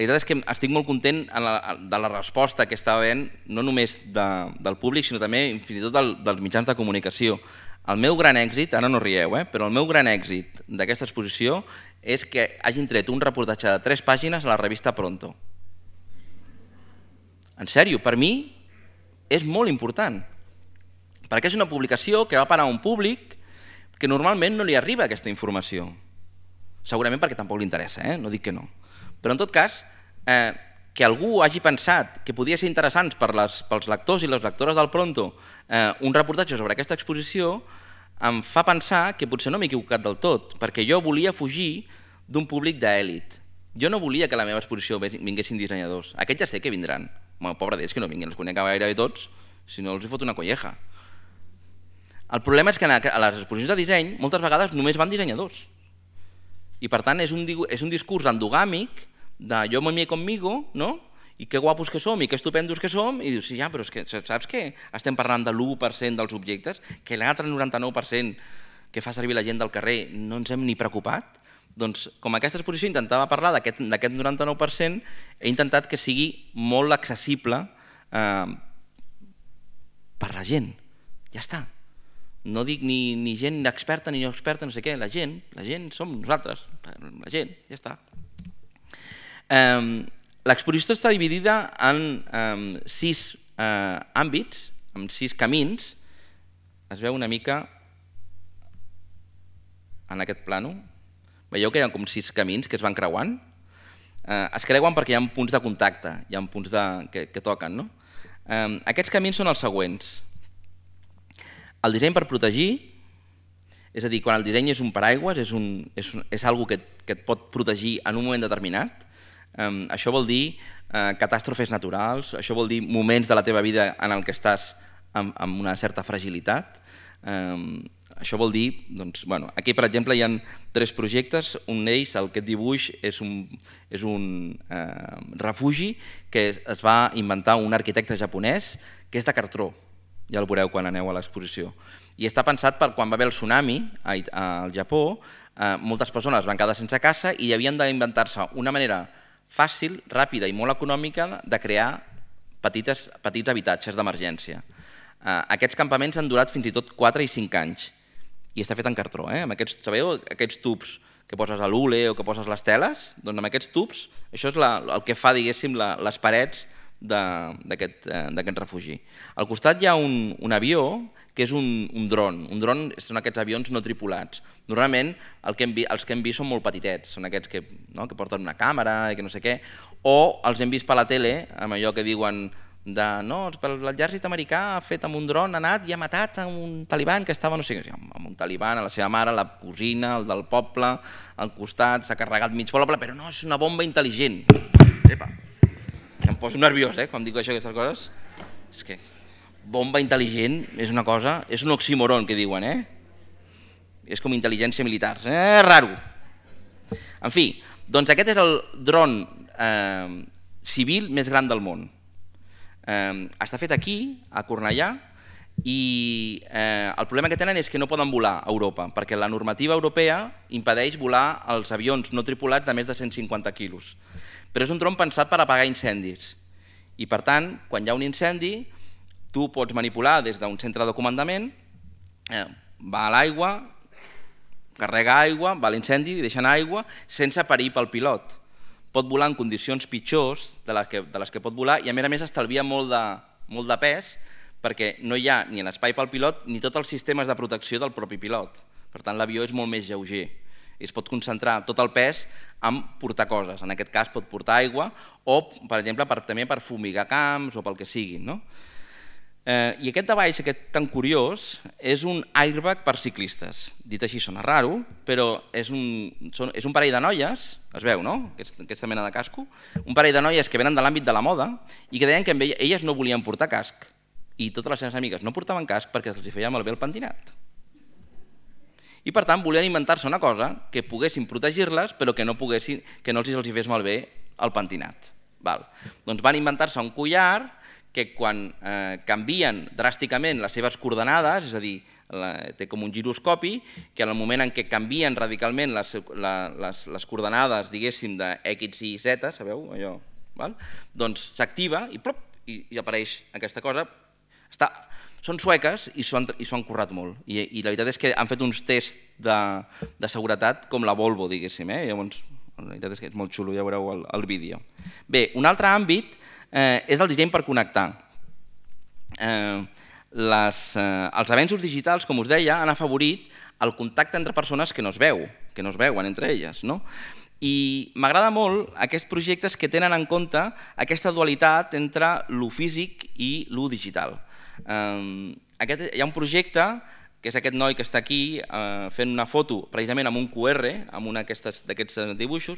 veritat és que estic molt content de la resposta que està havent, no només del públic, sinó també fins i tot dels mitjans de comunicació. El meu gran èxit, ara no rieu, però el meu gran èxit d'aquesta exposició és que hagin tret un reportatge de 3 pàgines a la revista Pronto. En sèrio, per mi és molt important, perquè és una publicació que va parar a un públic que normalment no li arriba aquesta informació. Segurament perquè tampoc li interessa, no dic que no. Però en tot cas, que algú hagi pensat que podia ser interessant pels lectors i les lectores del Pronto un reportatge sobre aquesta exposició em fa pensar que potser no m'he equivocat del tot, perquè jo volia fugir d'un públic d'èlit. Jo no volia que a la meva exposició vinguessin dissenyadors. Aquests ja sé que vindran. Pobre d'ells que no vinguin, els conec gairebé tots, si no els hi fot una colleja. El problema és que a les exposicions de disseny moltes vegades només van dissenyadors. I per tant és un discurs endogàmic de jo me mie conmigo, no? I que guapos que som i que estupendos que som, i dius, sí, ja, però és que saps que estem parlant de l'1% dels objectes, que l'altre 99% que fa servir la gent del carrer no ens hem ni preocupat? Doncs com aquesta exposició intentava parlar d'aquest 99%, he intentat que sigui molt accessible per la gent. Ja està. No dic ni gent experta ni no experta, no sé què, la gent som nosaltres, la gent, ja està. L'exposició està dividida en 6 àmbits, en 6 camins. Es veu una mica en aquest plànol. Veieu que hi ha com 6 camins que es van creuant? Es creuen perquè hi ha punts de contacte, hi ha punts que toquen. Aquests camins són els següents. El disseny per protegir, és a dir, quan el disseny és un paraigües, és alguna cosa que et pot protegir en un moment determinat. Això vol dir catàstrofes naturals, això vol dir moments de la teva vida en què estàs amb una certa fragilitat. Això vol dir, aquí per exemple hi ha 3 projectes, un d'ells, aquest dibuix, és un refugi que es va inventar un arquitecte japonès que és de cartró, ja el veureu quan aneu a l'exposició. I està pensat per quan va haver el tsunami al Japó, moltes persones van quedar sense casa i havien d'inventar-se una manera fàcil, ràpida i molt econòmica de crear petits habitatges d'emergència. Aquests campaments han durat fins i tot 4 i 5 anys i està fet en cartró. Sabeu aquests tubs que poses a l'hule o que poses les teles? Doncs amb aquests tubs, això és el que fa, diguéssim, les parets d'aquest refugi. Al costat hi ha un avió que és un dron. Un dron són aquests avions no tripulats. Normalment els que hem vist són molt petitets, són aquests que porten una càmera i que no sé què, o els hem vist per la tele amb allò que diuen l'exèrcit americà ha fet amb un dron, ha anat i ha matat un taliban que estava, no sé què, amb un taliban, a la seva mare, la cosina, el del poble, al costat, s'ha carregat mig poble, però no, és una bomba intel·ligent. Epa, em poso nerviós, quan dic això, aquestes coses. És que bomba intel·ligent és una cosa, és un oxímoron que diuen, és com intel·ligència militar, raro. En fi, doncs aquest és el dron civil més gran del món. Està fet aquí, a Cornellà, i el problema que tenen és que no poden volar a Europa, perquè la normativa europea impedeix volar els avions no tripulats de més de 150 quilos. Però és un dron pensat per apagar incendis. I per tant, quan hi ha un incendi, tu pots manipular des d'un centre de comandament, va a l'aigua, carrega aigua, va a l'incendi, deixa anar aigua, sense perill pel pilot. Pot volar en condicions pitjors de les que pot volar i a més estalvia molt de pes perquè no hi ha ni l'espai pel pilot ni tots els sistemes de protecció del propi pilot. Per tant, l'avió és molt més lleuger i es pot concentrar tot el pes en portar coses. En aquest cas pot portar aigua o, per exemple, també per fumigar camps o pel que sigui. I aquest de baix, aquest tan curiós, és un airbag per ciclistes. Dit així sona raro, però és un parell de noies, es veu, no? Aquesta mena de casco, un parell de noies que venen de l'àmbit de la moda i que deien que elles no volien portar casc i totes les seves amigues no portaven casc perquè els feia malbé el pentinat. I per tant volien inventar-se una cosa que poguessin protegir-les però que no els fes malbé el pentinat. Doncs van inventar-se un collar que quan canvien dràsticament les seves coordenades, és a dir, té com un giroscopi, que en el moment en què canvien radicalment les coordenades, diguéssim, de X i Z, sabeu allò? Doncs s'activa i apareix aquesta cosa. Són sueques i s'ho han currat molt. I la veritat és que han fet uns tests de seguretat com la Volvo, diguéssim. Llavors, la veritat és que és molt xulo, ja veureu el vídeo. Bé, un altre àmbit és el disseny per connectar. Els avenços digitals, com us deia, han afavorit el contacte entre persones que no es veuen entre elles. I m'agrada molt aquests projectes que tenen en compte aquesta dualitat entre lo físic i lo digital. Hi ha un projecte, que és aquest noi que està aquí fent una foto precisament amb un QR, amb un d'aquests dibuixos,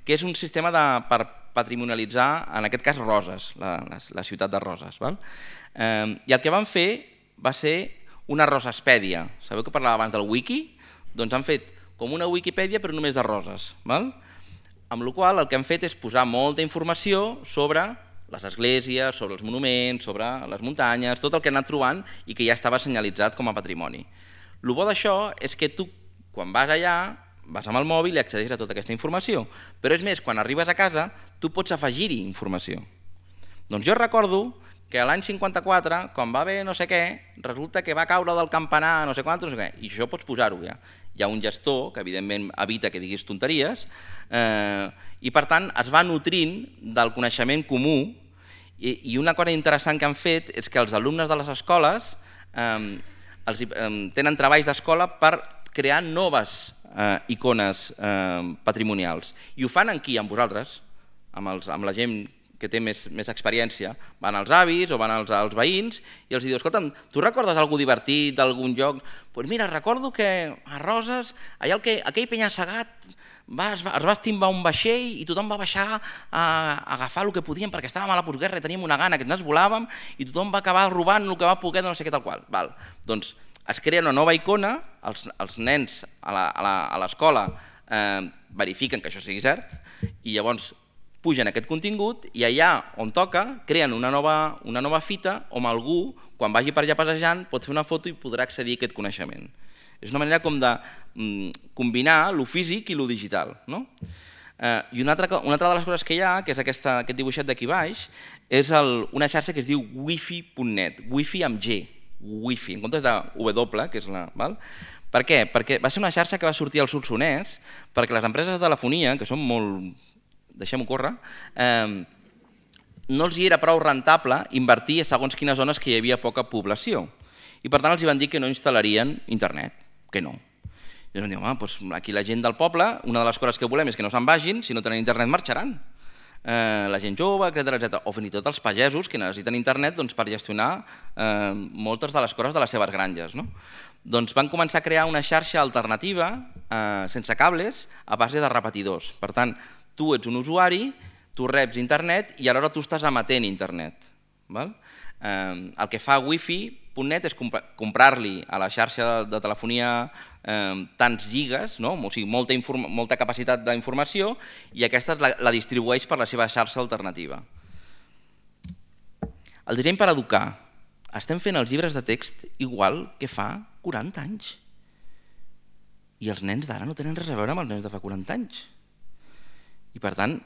que és un sistema per patrimonialitzar, en aquest cas, Roses, la ciutat de Roses. I el que van fer va ser una rosespèdia. Sabeu que parlava abans del wiki? Doncs han fet com una Wikipedia però només de roses. Amb la qual cosa el que han fet és posar molta informació sobre les esglésies, sobre els monuments, sobre les muntanyes, tot el que han anat trobant i que ja estava senyalitzat com a patrimoni. El bo d'això és que tu, quan vas allà, vas amb el mòbil i accedeixes a tota aquesta informació. Però és més, quan arribes a casa, tu pots afegir-hi informació. Doncs jo recordo que l'any 54, quan va haver no sé què, resulta que va caure del campanar no sé quant, no sé què, i això pots posar-ho ja. Hi ha un gestor que evidentment evita que diguis tonteries i per tant es va nutrint del coneixement comú i una cosa interessant que han fet és que els alumnes de les escoles tenen treballs d'escola per crear noves icones patrimonials i ho fan aquí amb vosaltres, amb la gent que té més experiència, van als avis o van als veïns i els diu, escolta'm, tu recordes alguna divertit d'algun lloc? Doncs mira, recordo que a Roses, allà aquell penya-segat es va estimbar un vaixell i tothom va baixar a agafar el que podien perquè estàvem a la postguerra i teníem una gana que ens volàvem i tothom va acabar robant el que va poder de no sé què tal qual. Doncs es crea una nova icona, els nens a l'escola verifiquen que això sigui cert i llavors pugen aquest contingut i allà on toca creen una nova fita on algú, quan vagi per allà passejant, pot fer una foto i podrà accedir a aquest coneixement. És una manera com de combinar lo físic i lo digital. I una altra de les coses que hi ha, que és aquest dibuixet d'aquí baix, és una xarxa que es diu wifi.net, wifi amb G, wifi, en comptes de W, que és la... Per què? Perquè va ser una xarxa que va sortir al Solsonès perquè les empreses de telefonia, que són molt... deixem-ho córrer, no els hi era prou rentable invertir a segons quines zones que hi havia poca població. I per tant els van dir que no instal·larien internet, que no. I ens van dir, home, doncs aquí la gent del poble, una de les coses que volem és que no se'n vagin, si no tenen internet marxaran. La gent jove, etc. O fins i tot els pagesos que necessiten internet per gestionar moltes de les coses de les seves granges. Doncs van començar a crear una xarxa alternativa sense cables a base de repetidors. Per tant, tu ets un usuari, tu reps internet i alhora tu estàs emetent internet. El que fa wifi.net és comprar-li a la xarxa de telefonia tants gigas, o sigui, molta capacitat d'informació, i aquesta la distribueix per la seva xarxa alternativa. El disseny per educar. Estem fent els llibres de text igual que fa 40 anys. I els nens d'ara no tenen res a veure amb els nens de fa 40 anys. I per tant,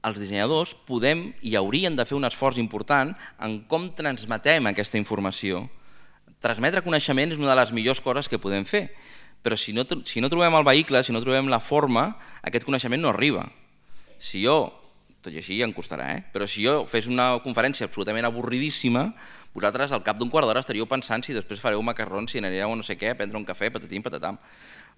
els dissenyadors podem i haurien de fer un esforç important en com transmetem aquesta informació. Transmetre coneixement és una de les millors coses que podem fer, però si no trobem el vehicle, si no trobem la forma, aquest coneixement no arriba. Si jo, tot i així ja em costarà, però si jo fes una conferència absolutament avorridíssima, vosaltres al cap d'un quart d'hora estaríeu pensant si després fareu macarrons, si anireu a no sé què, a prendre un cafè, patatim, patatam.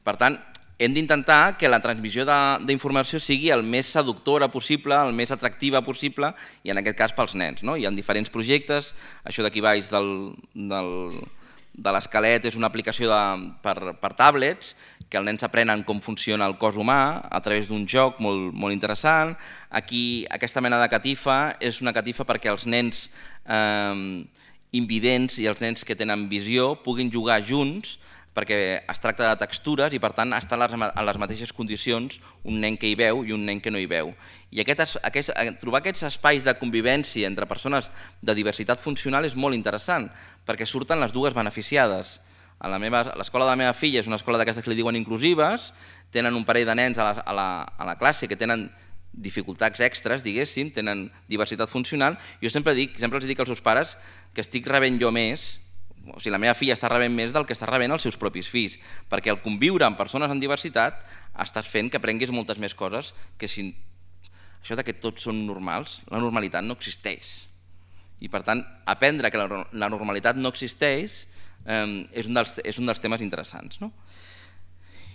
Per tant, hem d'intentar que la transmissió d'informació sigui el més seductora possible, el més atractiva possible, i en aquest cas pels nens. Hi ha diferents projectes, això d'aquí baix de l'esquelet és una aplicació per tablets, que els nens aprenen com funciona el cos humà a través d'un joc molt interessant. Aquí, aquesta mena de catifa és una catifa perquè els nens invidents i els nens que tenen visió puguin jugar junts, perquè es tracta de textures i per tant estan en les mateixes condicions un nen que hi veu i un nen que no hi veu. I trobar aquests espais de convivència entre persones de diversitat funcional és molt interessant, perquè surten les dues beneficiades. L'escola de la meva filla és una escola d'aquestes que li diuen inclusives, tenen un parell de nens a la classe que tenen dificultats extres, diguéssim, tenen diversitat funcional. Jo sempre els dic als seus pares que estic rebent jo més, o sigui, la meva filla està rebent més del que està rebent els seus propis fills, perquè al conviure amb persones amb diversitat estàs fent que aprenguis moltes més coses que si... Això que tots són normals, la normalitat no existeix. I per tant, aprendre que la normalitat no existeix és un dels temes interessants.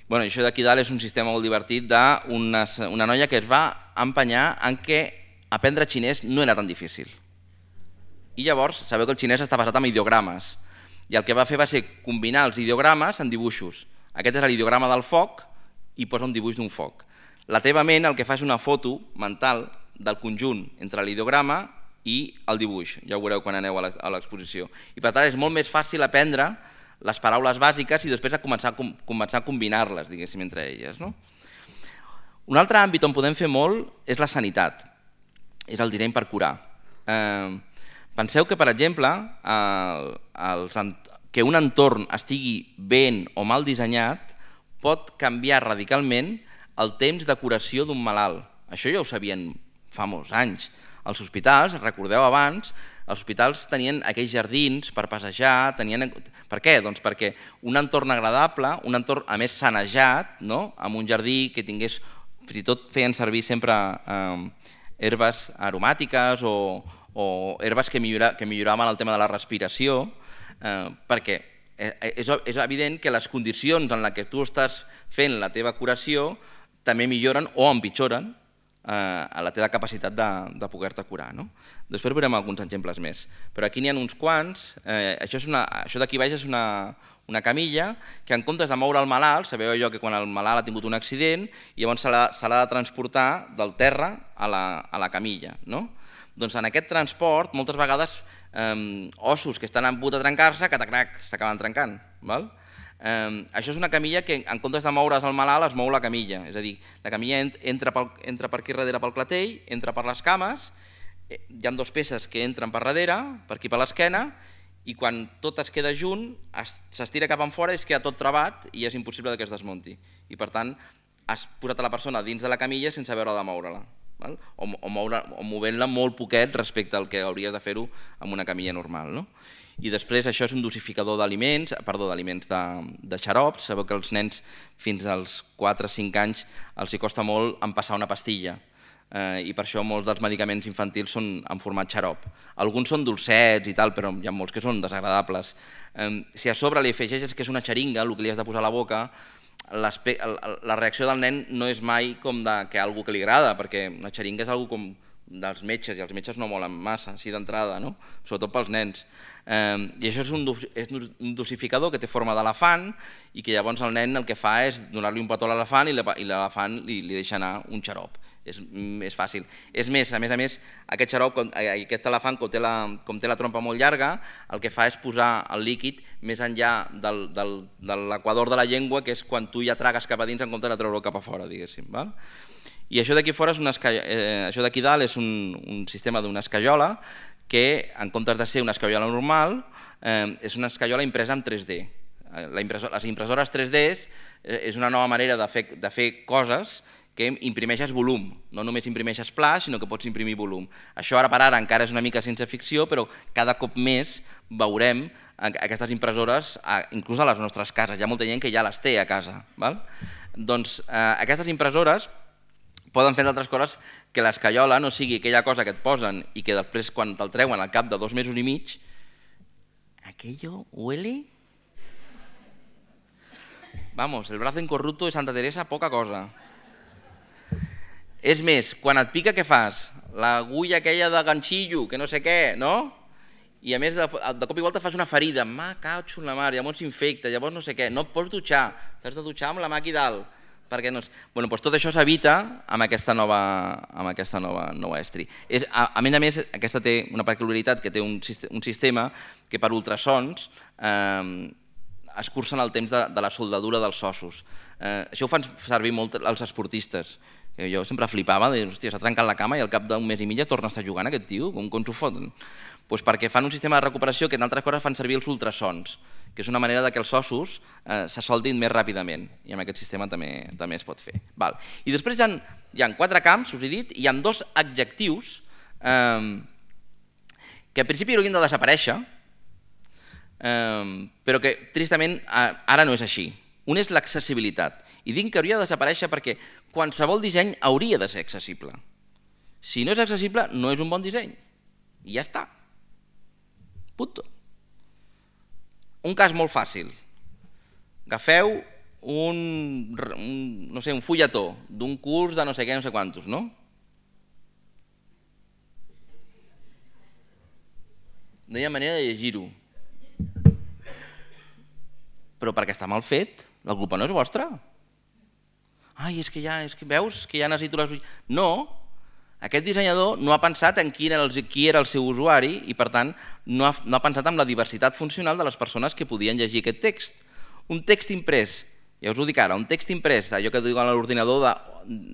Això d'aquí dalt és un sistema molt divertit d'una noia que es va empenyar en què aprendre xinès no era tan difícil. I llavors, sabeu que el xinès està basat en ideogrames, i el que va fer va ser combinar els ideogrames en dibuixos. Aquest és l'ideograma del foc i posa un dibuix d'un foc. La teva ment el que fa és una foto mental del conjunt entre l'ideograma i el dibuix. Ja ho veureu quan aneu a l'exposició. I per tant és molt més fàcil aprendre les paraules bàsiques i després començar a combinar-les, diguéssim, entre elles. Un altre àmbit on podem fer molt és la sanitat, és el disseny per curar. Penseu que, per exemple, que un entorn estigui ben o mal dissenyat pot canviar radicalment el temps de curació d'un malalt. Això ja ho sabien fa molts anys. Els hospitals, recordeu abans, els hospitals tenien aquells jardins per passejar. Per què? Doncs perquè un entorn agradable, un entorn a més sanejat, amb un jardí que tingués, fins i tot feien servir sempre herbes aromàtiques o herbes que milloraven el tema de la respiració, perquè és evident que les condicions en què tu estàs fent la teva curació també milloren o empitjoren la teva capacitat de poder-te curar. Després veurem alguns exemples més, però aquí n'hi ha uns quants. Això d'aquí baix és una camilla que en comptes de moure el malalt, sabeu allò que quan el malalt ha tingut un accident, llavors se l'ha de transportar del terra a la camilla. Doncs en aquest transport, moltes vegades, ossos que estan a punt de trencar-se, catacrac, s'acaben trencant. Això és una camilla que, en comptes de moure's el malalt, es mou la camilla. És a dir, la camilla entra per aquí darrere pel clatell, entra per les cames, hi ha dues peces que entren per darrere, per aquí per l'esquena, i quan tot es queda junt, s'estira cap enfora i es queda tot trabat i és impossible que es desmunti. I per tant, has posat a la persona dins de la camilla sense haver de moure-la, o movent-la molt poquet respecte al que hauries de fer-ho amb una camilla normal. I després això és un dosificador d'aliments, de xarops. Sabeu que als nens fins als 4 o 5 anys els hi costa molt empassar una pastilla, i per això molts dels medicaments infantils són en format xarop. Alguns són dolcets i tal, però hi ha molts que són desagradables. Si a sobre li afegeixes que és una xeringa, el que li has de posar a la boca, la reacció del nen no és mai com que algú que li agrada, perquè una xeringa és algo com dels metges, i els metges no molen massa, així d'entrada, sobretot pels nens. I això és un dosificador que té forma d'elefant i que llavors el nen el que fa és donar-li un petó a l'elefant i l'elefant li deixa anar un xarop. És fàcil. És més, a més, aquest xarop, aquest elefant, com té la trompa molt llarga, el que fa és posar el líquid més enllà de l'equador de la llengua, que és quan tu ja tragues cap a dins en comptes de treure-ho cap a fora, diguéssim. I això d'aquí fora, això d'aquí dalt és un sistema d'una escaiola que, en comptes de ser una escaiola normal, és una escaiola impresa en 3D. Les impressores 3D és una nova manera de fer coses que imprimeixes volum, no només imprimeixes pla, sinó que pots imprimir volum. Això ara per ara encara és una mica ciència ficció, però cada cop més veurem aquestes impressores inclús a les nostres cases. Hi ha molta gent que ja les té a casa. Doncs aquestes impressores poden fer d'altres coses que l'escaiola no sigui aquella cosa que et posen i que després quan te'l treuen al cap de 2 mesos i mig, aquello huele... Vamos, el brazo incorrupto de Santa Teresa, poca cosa. És més, quan et pica què fas? L'agulla aquella de ganxillo, que no sé què, no? I a més de cop i volta fas una ferida, ma cautxo en la mar, llavors s'infecta, llavors no sé què, no et pots dutxar, t'has de dutxar amb la mà aquí dalt. Perquè no... Tot això s'evita amb aquesta nova estri. A més, aquesta té una peculiaritat que té un sistema que per ultrasons escurcen el temps de la soldadura dels ossos. Això ho fan servir molt els esportistes. Jo sempre flipava, hòstia, s'ha trencat la cama i al cap d'un mes i mig torna a estar jugant aquest tio, com s'ho foten? Doncs perquè fan un sistema de recuperació que en altres coses fan servir els ultrasons, que és una manera que els ossos se soldin més ràpidament, i amb aquest sistema també es pot fer. I després hi ha 4 camps, us he dit, i hi ha 2 adjectius que al principi haurien de desaparèixer, però que tristament ara no és així. Un és l'accessibilitat, i dic que hauria de desaparèixer perquè qualsevol disseny hauria de ser accessible. Si no és accessible, no és un bon disseny. I ja està. Punto. Un cas molt fàcil. Agafeu un fulletó d'un curs de no sé què, no sé quantos, no? No hi ha manera de llegir-ho. Però perquè està mal fet, la culpa no és vostra. Ai, és que veus que ja necessito les... No, aquest dissenyador no ha pensat en qui era el seu usuari i, per tant, no ha pensat en la diversitat funcional de les persones que podien llegir aquest text. Un text imprès, ja us ho dic ara, un text imprès, allò que diuen a l'ordinador de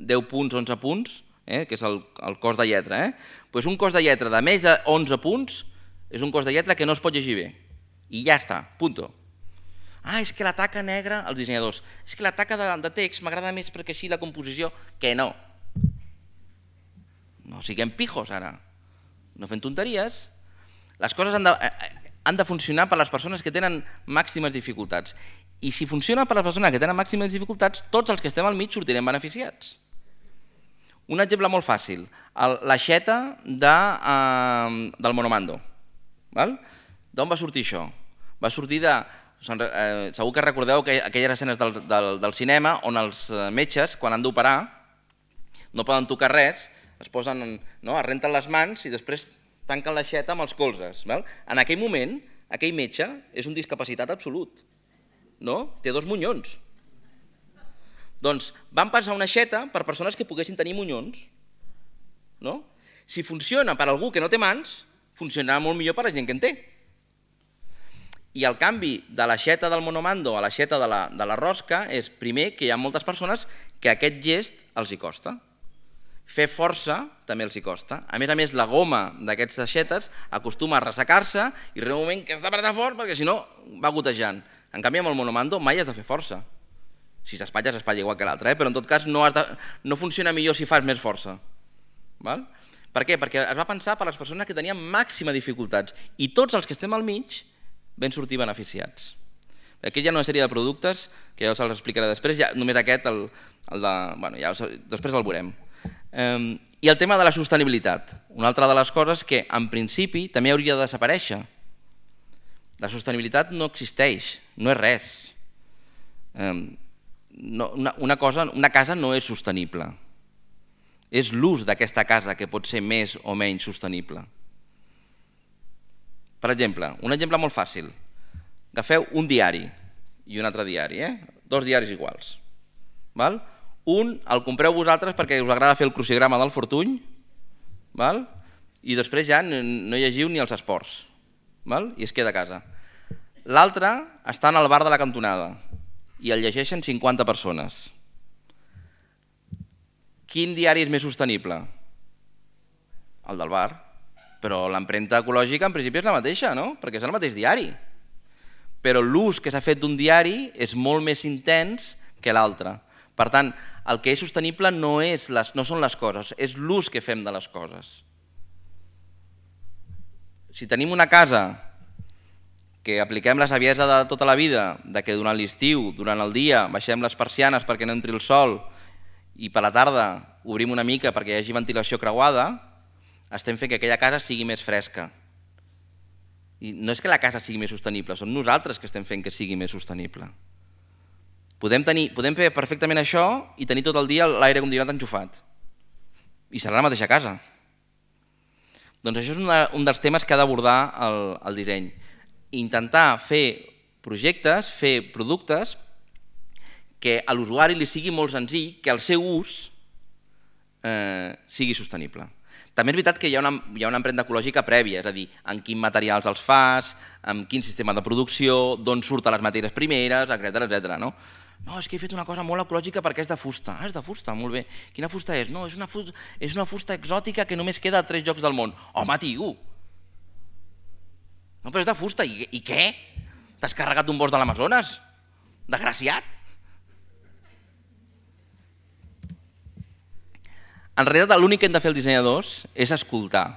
10 punts, 11 punts, que és el cos de lletra, doncs un cos de lletra de més de 11 punts és un cos de lletra que no es pot llegir bé. I ja està, punto. Ah, és que la taca negra, els dissenyadors, és que la taca de text m'agrada més perquè així la composició, que no. No siguem pijos ara, no fem tonteries. Les coses han de funcionar per a les persones que tenen màximes dificultats. I si funciona per a les persones que tenen màximes dificultats, tots els que estem al mig sortirem beneficiats. Un exemple molt fàcil, l'aixeta del monomando. D'on va sortir això? Va sortir de... Segur que recordeu aquelles escenes del cinema on els metges, quan han d'operar, no poden tocar res, es renten les mans i després tanquen l'aixeta amb els colzes. En aquell moment, aquell metge és un discapacitat absolut. Té 2 monyons. Doncs van pensar una aixeta per persones que poguessin tenir monyons. Si funciona per a algú que no té mans, funcionarà molt millor per a la gent que en té. I el canvi de l'aixeta del monomando a l'aixeta de la rosca és, primer, que hi ha moltes persones que aquest gest els hi costa. Fer força també els hi costa. A més, la goma d'aquestes aixetes acostuma a ressecar-se i arriba un moment que has d'apretar fort perquè si no va gotejant. En canvi, amb el monomando mai has de fer força. Si s'espatlla, s'espatlla igual que l'altre, però en tot cas no funciona millor si fas més força. Per què? Perquè es va pensar per les persones que tenien màxima dificultats i tots els que estem al mig vam sortir beneficiats. Aquí hi ha una sèrie de productes que ja us els explicaré després, només aquest, després el veurem. I el tema de la sostenibilitat, una altra de les coses que en principi també hauria de desaparèixer. La sostenibilitat no existeix, no és res. Una casa no és sostenible. És l'ús d'aquesta casa que pot ser més o menys sostenible. Per exemple, un exemple molt fàcil. Agafeu un diari i un altre diari, dos diaris iguals. Un el compreu vosaltres perquè us agrada fer el crucigrama del Fortuny i després ja no llegiu ni els esports i es queda a casa. L'altre està en el bar de la cantonada i el llegeixen 50 persones. Quin diari és més sostenible? El del bar. Però l'empremta ecològica en principi és la mateixa, no? Perquè és el mateix diari. Però l'ús que s'ha fet d'un diari és molt més intens que l'altre. Per tant, el que és sostenible no són les coses, és l'ús que fem de les coses. Si tenim una casa que apliquem la saviesa de tota la vida, de que durant l'estiu, durant el dia, baixem les persianes perquè no entri el sol i per la tarda obrim una mica perquè hi hagi ventilació creuada, estem fent que aquella casa sigui més fresca. I no és que la casa sigui més sostenible, som nosaltres que estem fent que sigui més sostenible. Podem fer perfectament això i tenir tot el dia l'aire condicionat enxufat. I serà la mateixa casa. Doncs això és un dels temes que ha d'abordar el disseny. Intentar fer projectes, fer productes que a l'usuari li sigui molt senzill que el seu ús sigui sostenible. També és veritat que hi ha una empremta ecològica prèvia, és a dir, en quins materials els fas, en quin sistema de producció, d'on surten les matèries primeres, etc. No, és que he fet una cosa molt ecològica perquè és de fusta. Ah, és de fusta, molt bé. Quina fusta és? No, és una fusta exòtica que només queda a 3 llocs del món. Home, tio! No, però és de fusta. I què? T'has carregat un bosc de l'Amazones? Desgraciat! En realitat, l'únic que hem de fer els dissenyadors és escoltar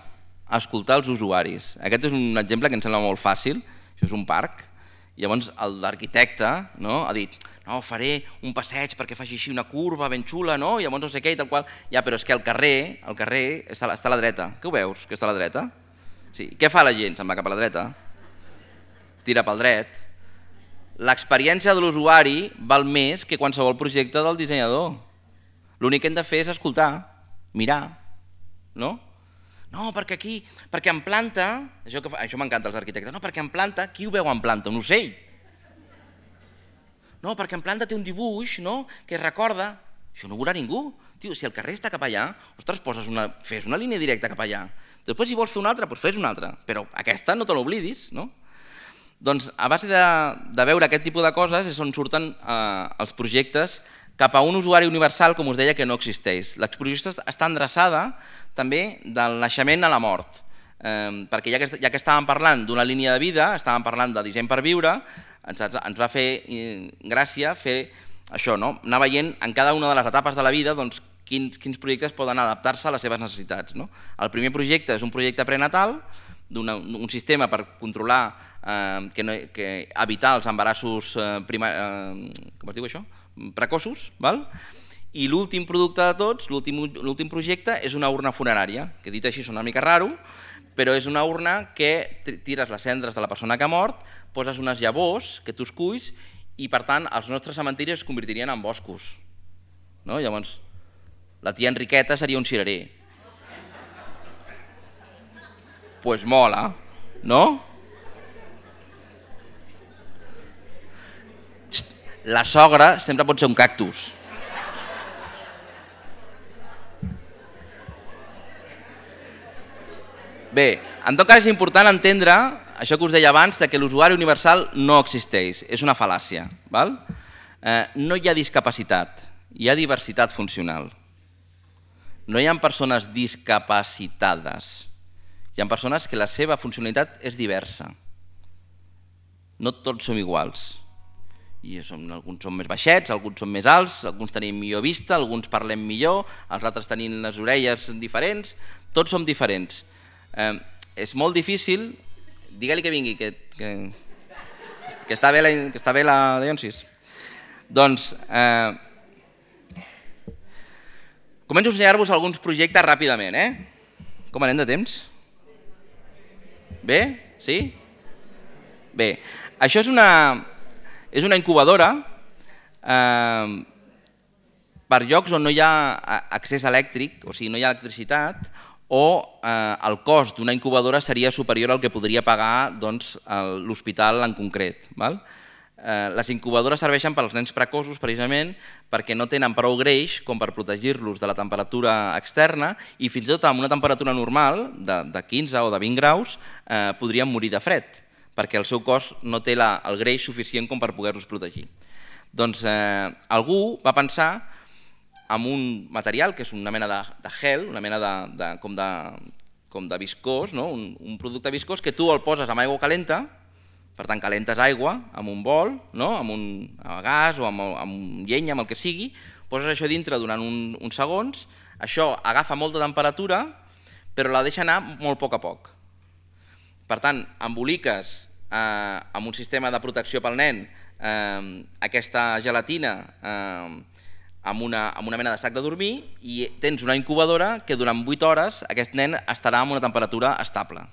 els usuaris. Aquest és un exemple que em sembla molt fàcil, això és un parc, i llavors l'arquitecte ha dit faré un passeig perquè faci així una curva ben xula, i llavors no sé què i tal qual. Ja, però és que el carrer està a la dreta. Què ho veus, que està a la dreta? Sí. Què fa la gent? Se'n va cap a la dreta? Tira pel dret. L'experiència de l'usuari val més que qualsevol projecte del dissenyador. L'únic que hem de fer és escoltar, mirar, no? No, perquè aquí, perquè en planta, això m'encanta als arquitectes, no, perquè en planta, qui ho veu en planta? Un ocell. No, perquè en planta té un dibuix, no?, que recorda, això no ho veurà ningú. Tio, si el carrer està cap allà, ostres, fes una línia directa cap allà. Després, si vols fer una altra, doncs fes una altra, però aquesta no te l'oblidis, no? Doncs a base de veure aquest tipus de coses és on surten els projectes cap a un usuari universal, com us deia, que no existeix. L'exposició està endreçada també del naixement a la mort, perquè ja que estàvem parlant d'una línia de vida, estàvem parlant de disseny per viure, ens va fer gràcia fer això, anar veient en cada una de les etapes de la vida quins projectes poden adaptar-se a les seves necessitats. El primer projecte és un projecte prenatal, un sistema per controlar, evitar els embarassos com es diu això? Precoços, i l'últim producte de tots, l'últim projecte, és una urna funerària, que dit així sona una mica raro, però és una urna que tires les cendres de la persona que ha mort, poses unes llavors que tu esculls i, per tant, els nostres cementiris es convertirien en boscos. Llavors, la tia Enriqueta seria un cirerer. Pues mola, no? La sogra sempre pot ser un cactus. Bé, en tot cas és important entendre això que us deia abans, que l'usuari universal no existeix, és una fal·làcia. No hi ha discapacitat, hi ha diversitat funcional. No hi ha persones discapacitades, hi ha persones que la seva funcionalitat és diversa. No tots som iguals. Alguns són més baixets, alguns són més alts, alguns tenim millor vista, alguns parlem millor, els altres tenim les orelles diferents, tots som diferents. És molt difícil, digue-li que vingui, que està bé la Dionsis. Doncs començo a ensenyar-vos alguns projectes ràpidament. Com anem de temps? Bé? Sí? Bé, això és una incubadora per llocs on no hi ha accés elèctric, o sigui, no hi ha electricitat, o el cost d'una incubadora seria superior al que podria pagar l'hospital en concret. Les incubadores serveixen per als nens precoços precisament perquè no tenen prou greix com per protegir-los de la temperatura externa i fins i tot amb una temperatura normal de 15 o de 20 graus podrien morir de fred perquè el seu cos no té el greix suficient com per poder-los protegir. Doncs algú va pensar en un material que és una mena de gel, una mena com de viscós, un producte viscós que tu el poses amb aigua calenta, per tant calentes aigua amb un bol, amb gas o amb llenya, amb el que sigui, poses això dintre durant uns segons, això agafa molta temperatura però la deixa anar molt a poc. Per tant, emboliques amb un sistema de protecció pel nen aquesta gelatina amb una mena de sac de dormir i tens una incubadora que durant 8 hores aquest nen estarà amb una temperatura estable.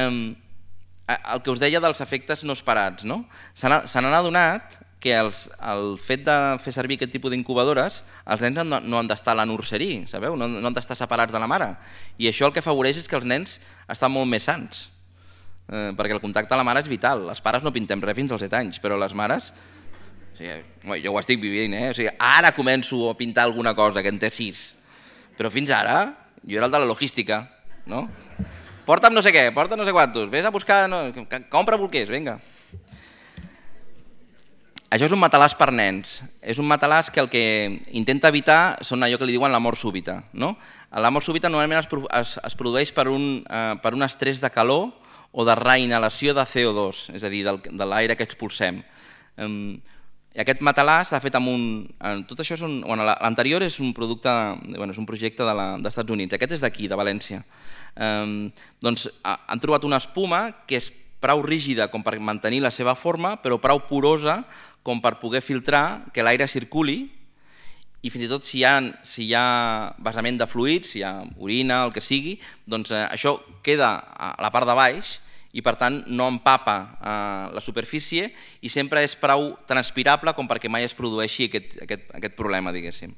El que us deia dels efectes no esperats, se n'han adonat que el fet de fer servir aquest tipus d'incubadores, els nens no han d'estar a la nurseria, sabeu? No han d'estar separats de la mare. I això el que afavoreix és que els nens estan molt més sans, perquè el contacte amb la mare és vital. Els pares no pintem res fins als 7 anys, però les mares... Jo ho estic vivint, ara començo a pintar alguna cosa, que en té 6, però fins ara jo era el de la logística, porta'm no sé què, porta no sé quantos, vés a buscar, compra bolquers, vinga. Això és un matalàs per nens, és un matalàs que el que intenta evitar són allò que li diuen la mort súbita. La mort súbita normalment es produeix per un estrès de calor o de reinhalació de CO2, és a dir, de l'aire que expulsem. I aquest matalàs està fet amb tot això l'anterior és un producte, és un projecte dels Estats Units, aquest és d'aquí, de València. Doncs han trobat una espuma que és prou rígida com per mantenir la seva forma, però prou porosa com per poder filtrar que l'aire circuli i fins i tot si hi ha vessament de fluids, si hi ha orina, el que sigui, doncs això queda a la part de baix i per tant no empapa la superfície i sempre és prou transpirable com perquè mai es produeixi aquest problema, diguéssim.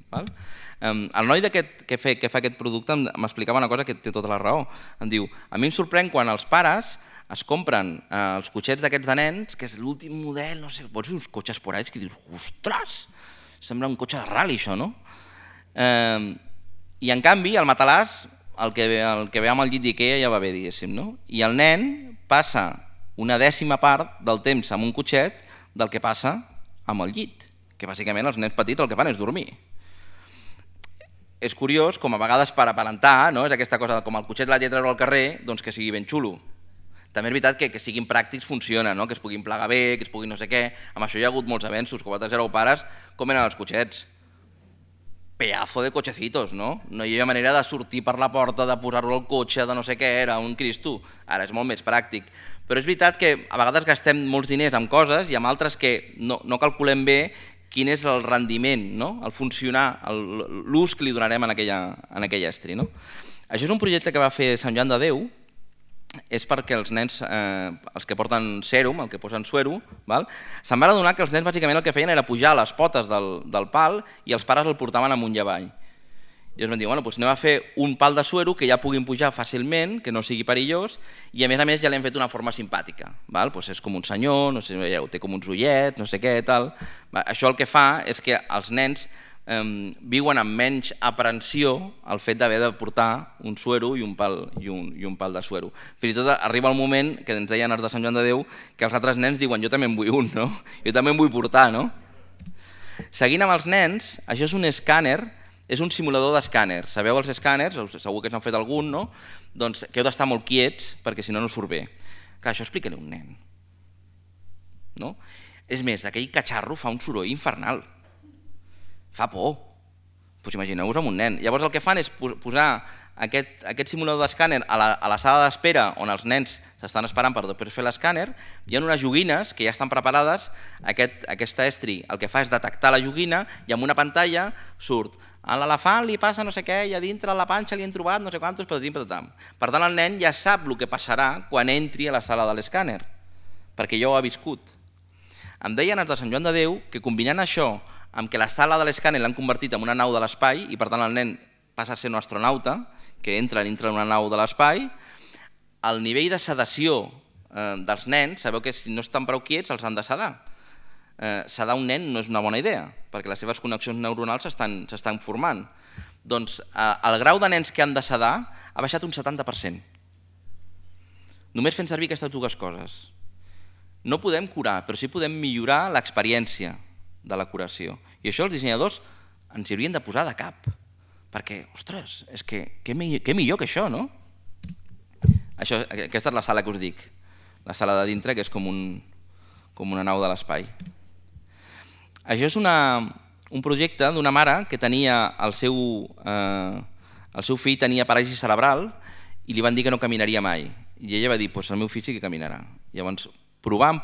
El noi que fa aquest producte m'explicava una cosa que té tota la raó. Em diu, a mi em sorprèn quan els pares es compren els cotxets d'aquests de nens, que és l'últim model, no sé, pots dir uns cotxes por ahí que dius, ostres, sembla un cotxe de rally això, no? I en canvi el matalàs, el que ve amb el llit d'Ikea ja va bé, diguéssim, no? I el nen passa una 10ª part del temps amb un cotxet del que passa amb el llit, que bàsicament els nens petits el que fan és dormir. És curiós com a vegades per aparentar, és aquesta cosa com el cotxet l'ha de treure al carrer, doncs que sigui ben xulo. També és veritat que siguin pràctics funciona, que es puguin plegar bé, que es puguin no sé què. Amb això hi ha hagut molts avenços, que vosaltres éreu pares, com eren els cotxets? Pedazo de cochecitos, no? No hi havia manera de sortir per la porta, de posar-lo al cotxe, de no sé què, era un cristo. Ara és molt més pràctic. Però és veritat que a vegades gastem molts diners en coses i en altres que no calculem bé quin és el rendiment, el funcionar, l'ús que li donarem en aquell estri. Això és un projecte que va fer Sant Joan de Déu, és perquè els nens, els que porten sèrum, el que posen suero, se'n van adonar que els nens bàsicament el que feien era pujar a les potes del pal i els pares el portaven amunt i avall. I ens van dir, doncs anem a fer un pal de suero que ja puguin pujar fàcilment, que no sigui perillós, i a més ja l'hem fet d'una forma simpàtica. És com un senyor, no sé si veieu, té com uns ullets, no sé què, tal. Això el que fa és que els nens viuen amb menys aprensió el fet d'haver de portar un suero i un pal de suero. Fins i tot arriba el moment que ens deien els de Sant Joan de Déu que els altres nens diuen jo també en vull un, no? Jo també en vull portar, no? Seguint amb els nens, això és un escàner, és un simulador d'escàner. Sabeu els escàners? Segur que s'han fet algun, no? Doncs que heu d'estar molt quiets perquè si no no surt bé. Clar, això explica-li a un nen. No? És més, aquell catxarro fa un soroll infernal. Fa por. Doncs imagineu-vos amb un nen. Llavors el que fan és posar aquest simulador d'escàner a la sala d'espera on els nens s'estan esperant per després fer l'escàner. Hi ha unes joguines que ja estan preparades. Aquesta estri el que fa és detectar la joguina i amb una pantalla surt a l'elefant li passa no sé què i a dintre la panxa li han trobat no sé quantos patatim patatam. Per tant el nen ja sap el que passarà quan entri a la sala de l'escàner perquè ja ho ha viscut. Em deien els de Sant Joan de Déu que combinant això amb que la sala de l'escàner l'han convertit en una nau de l'espai i per tant el nen passa a ser un astronauta que entra dintre d'una nau de l'espai, el nivell de sedació dels nens, sabeu que si no estan prou quiets els han de sedar. Sedar un nen no és una bona idea perquè les seves connexions neuronals s'estan formant. Doncs el grau de nens que han de sedar ha baixat un 70%. Només fent servir aquestes dues coses. No podem curar, però sí podem millorar l'experiència de la curació. I això els dissenyadors ens hi haurien de posar de cap. Perquè, ostres, és que què millor que això, no? Aquesta és la sala que us dic. La sala de dintre, que és com una nau de l'espai. Això és un projecte d'una mare que tenia el seu fill tenia paràlisi cerebral i li van dir que no caminaria mai. I ella va dir, doncs el meu fill sí que caminarà. Llavors, provant,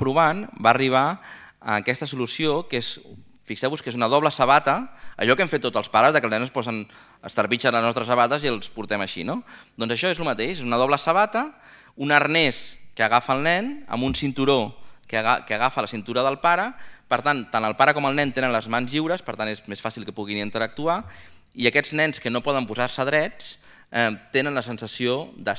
va arribar a aquesta solució que és, fixeu-vos que és una doble sabata, allò que hem fet tots els pares, que els nens posen estarpitxen les nostres sabates i els portem així, no? Doncs això és el mateix, és una doble sabata, un arnès que agafa el nen, amb un cinturó que agafa la cintura del pare, per tant, tant el pare com el nen tenen les mans lliures, per tant és més fàcil que puguin interactuar, i aquests nens que no poden posar-se drets tenen la sensació de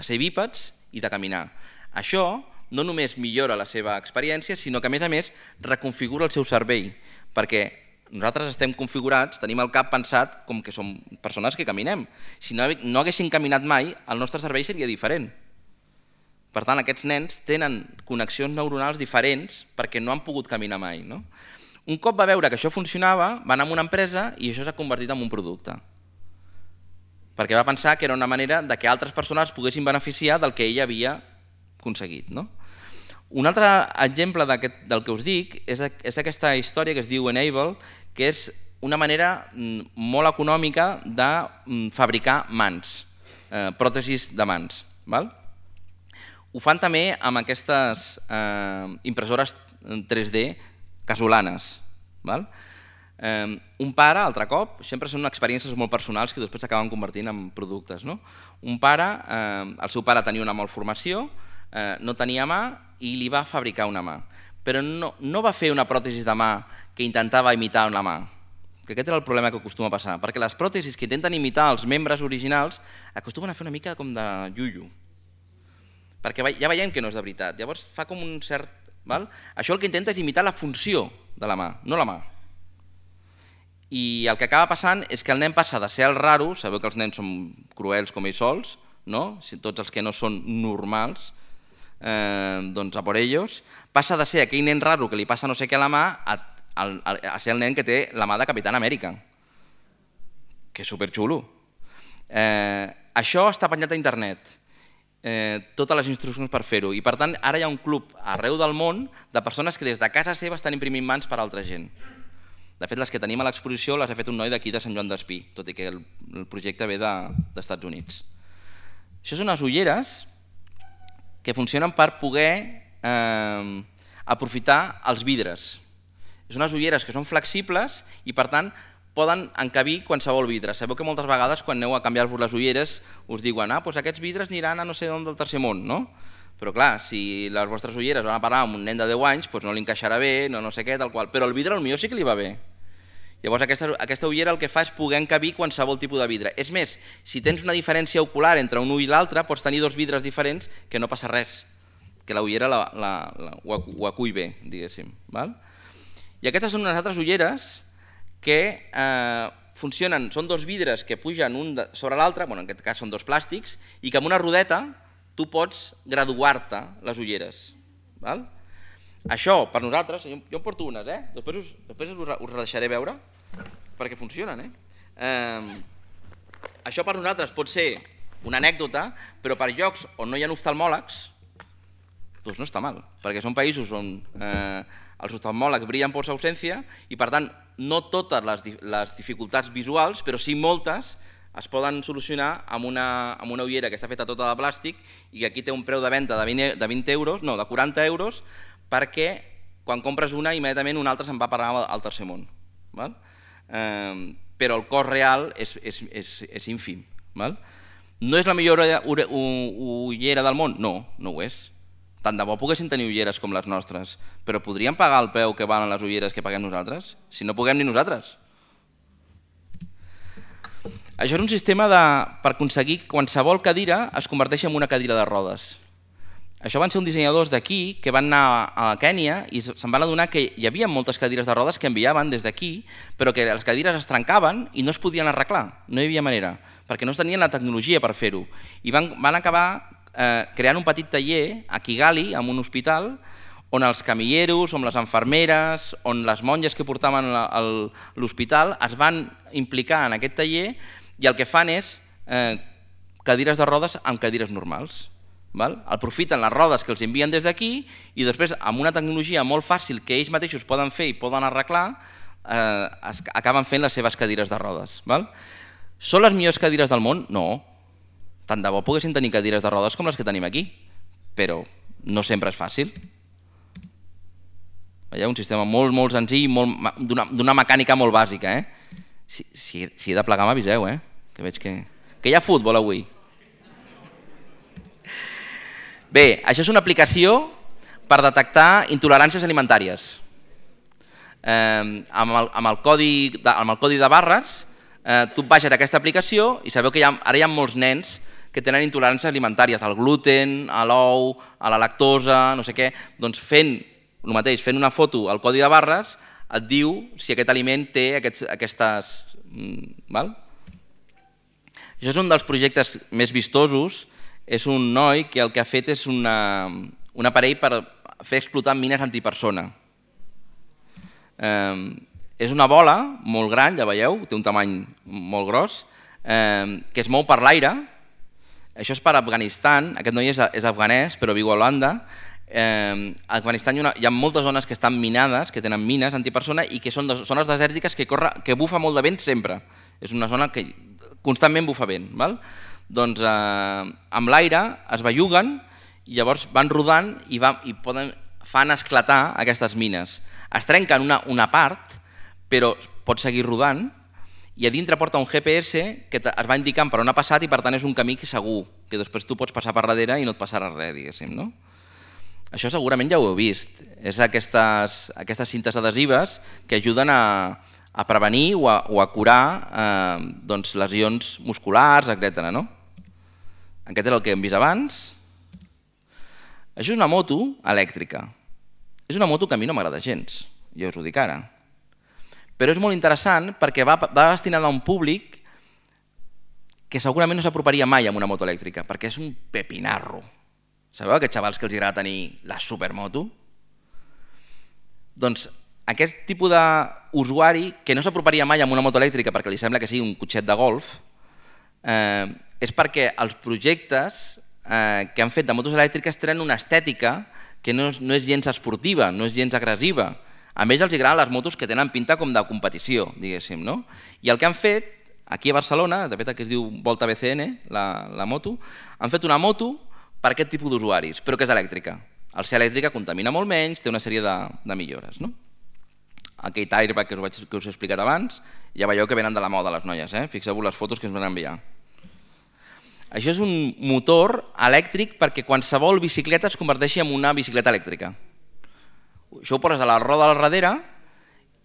ser bípeds i de caminar. Això no només millora la seva experiència, sinó que a més reconfigura el seu cervell, perquè nosaltres estem configurats, tenim el cap pensat com que som persones que caminem. Si no haguessin caminat mai, el nostre cervell seria diferent. Per tant, aquests nens tenen connexions neuronals diferents perquè no han pogut caminar mai. No? Un cop va veure que això funcionava, va anar a una empresa i això s'ha convertit en un producte. Perquè va pensar que era una manera de que altres persones poguessin beneficiar del que ell havia aconseguit. No? Un altre exemple del que us dic és aquesta història que es diu Enable, que és una manera molt econòmica de fabricar mans, pròtesis de mans. Ho fan també amb aquestes impressores 3D casolanes. Un pare, altre cop, sempre són experiències molt personals que després s'acaben convertint en productes. Un pare, el seu pare tenia una malformació, no tenia mà i li va fabricar una mà. Però no va fer una pròtesi de mà que intentava imitar una mà. Que aquest era el problema que acostuma a passar, perquè les pròtesis que intenten imitar els membres originals acostumen a fer una mica com de iuiu. Perquè ja veiem que no és de veritat. Llavors fa com un cert... Això el que intenta és imitar la funció de la mà, no la mà. I el que acaba passant és que el nen passa de ser el raro, sabeu que els nens són cruels com ells sols, tots els que no són normals, doncs a por ellos, passa de ser aquell nen raro que li passa no sé què a la mà a ser el nen que té la mà de Capitán Amèrica, que és superxulo. Això està penjat a internet, totes les instruccions per fer-ho, i per tant ara hi ha un club arreu del món de persones que des de casa seva estan imprimint mans per a altra gent. De fet, les que tenim a l'exposició les ha fet un noi d'aquí de Sant Joan d'Espí, tot i que el projecte ve dels Estats Units. Això són unes ulleres que funcionen per poder aprofitar els vidres. És unes ulleres que són flexibles i per tant poden encabir qualsevol vidre. Sabeu que moltes vegades quan aneu a canviar-vos les ulleres us diuen doncs aquests vidres aniran a no sé on del tercer món, no? Però clar, si les vostres ulleres van a parar amb un nen de 10 anys, doncs no li encaixarà bé, no sé què, tal qual. Però el vidre potser sí que li va bé. Llavors aquesta ullera el que fa és poder encabir qualsevol tipus de vidre. És més, si tens una diferència ocular entre un ull i l'altre, pots tenir dos vidres diferents que no passa res, que la ullera ho acull bé, diguéssim. I aquestes són unes altres ulleres que funcionen, són dos vidres que pugen un sobre l'altre, en aquest cas són dos plàstics, i que amb una rodeta tu pots graduar-te les ulleres. Això, per nosaltres, jo en porto unes, després us deixaré veure, perquè funcionen. Això per nosaltres pot ser una anècdota, però per llocs on no hi ha oftalmòlegs, doncs no està mal, perquè són països on els oftalmòlegs brillen per sa ausència i, per tant, no totes les dificultats visuals, però sí moltes, es poden solucionar amb una ullera que està feta tota de plàstic i que aquí té un preu de venda de 20 euros, no, de 40 euros, perquè quan compres una, immediatament una altra se'n va parar al tercer món. Però el cost real és ínfim. No és la millor ullera del món? No, no ho és. Tant de bo poguessin tenir ulleres com les nostres, però podríem pagar el preu que valen les ulleres que paguem nosaltres? Si no puguem ni nosaltres. Això és un sistema per aconseguir que qualsevol cadira es converteixi en una cadira de rodes. Això van ser uns dissenyadors d'aquí que van anar a Kènia i se'n van adonar que hi havia moltes cadires de rodes que enviaven des d'aquí, però que les cadires es trencaven i no es podien arreglar, no hi havia manera, perquè no tenien la tecnologia per fer-ho. I van acabar creant un petit taller a Kigali, en un hospital, on els camilleros, on les infermeres, on les monges que portaven a l'hospital es van implicar en aquest taller i el que fan és cadires de rodes amb cadires normals. Aprofiten les rodes que els envien des d'aquí i després, amb una tecnologia molt fàcil que ells mateixos poden fer i poden arreglar, acaben fent les seves cadires de rodes. Són les millors cadires del món? No. Tant de bo poguessin tenir cadires de rodes com les que tenim aquí, però no sempre és fàcil. Veieu? Un sistema molt, molt senzill, d'una mecànica molt bàsica. Si he de plegar m'aviseu, que veig que hi ha futbol avui. Bé, això és una aplicació per detectar intoleràncies alimentàries. Amb el codi de barres, tu baixes aquesta aplicació i sabeu que ara hi ha molts nens que tenen intoleràncies alimentàries al gluten, a l'ou, a la lactosa, no sé què. Doncs fent el mateix, fent una foto al codi de barres, et diu si aquest aliment té aquestes... Això és un dels projectes més vistosos. És un noi que el que ha fet és un aparell per fer explotar mines antipersona. És una bola molt gran, ja veieu, té un tamany molt gros, que es mou per l'aire. Això és per Afganistan, aquest noi és afganès però viu a Holanda. A Afganistan hi ha moltes zones que estan minades, que tenen mines antipersona i que són zones desèrtiques que bufa molt de vent sempre. És una zona que constantment bufa vent. Doncs amb l'aire es belluguen i llavors van rodant i fan esclatar aquestes mines. Es trenquen una part, però pot seguir rodant i a dintre porta un GPS que es va indicant per on ha passat i per tant és un camí que segur, que després tu pots passar per darrere i no et passarà res, diguéssim. Això segurament ja ho heu vist. És aquestes cintes adhesives que ajuden a prevenir o a curar lesions musculars, etc. Aquest és el que hem vist abans. Això és una moto elèctrica. És una moto que a mi no m'agrada gens, ja us ho dic ara. Però és molt interessant perquè va destinada a un públic que segurament no s'aproparia mai a una moto elèctrica, perquè és un pepinarro. Sabeu aquests xavals que els agrada tenir la supermoto? Doncs aquest tipus d'usuari que no s'aproparia mai a una moto elèctrica perquè li sembla que sigui un cotxet de golf, és perquè els projectes que han fet de motos elèctriques tenen una estètica que no és gens esportiva, no és gens agressiva. A més, els agraden les motos que tenen pinta com de competició, diguéssim. I el que han fet, aquí a Barcelona, de fet que es diu Volta BCN, la moto, han fet una moto per aquest tipus d'usuaris, però que és elèctrica. Al ser elèctrica contamina molt menys, té una sèrie de millores. Aquest airbag que us he explicat abans, ja veieu que venen de la moda les noies, fixeu-vos les fotos que ens van enviar. Això és un motor elèctric perquè qualsevol bicicleta es converteixi en una bicicleta elèctrica. Això ho poses a la roda al darrere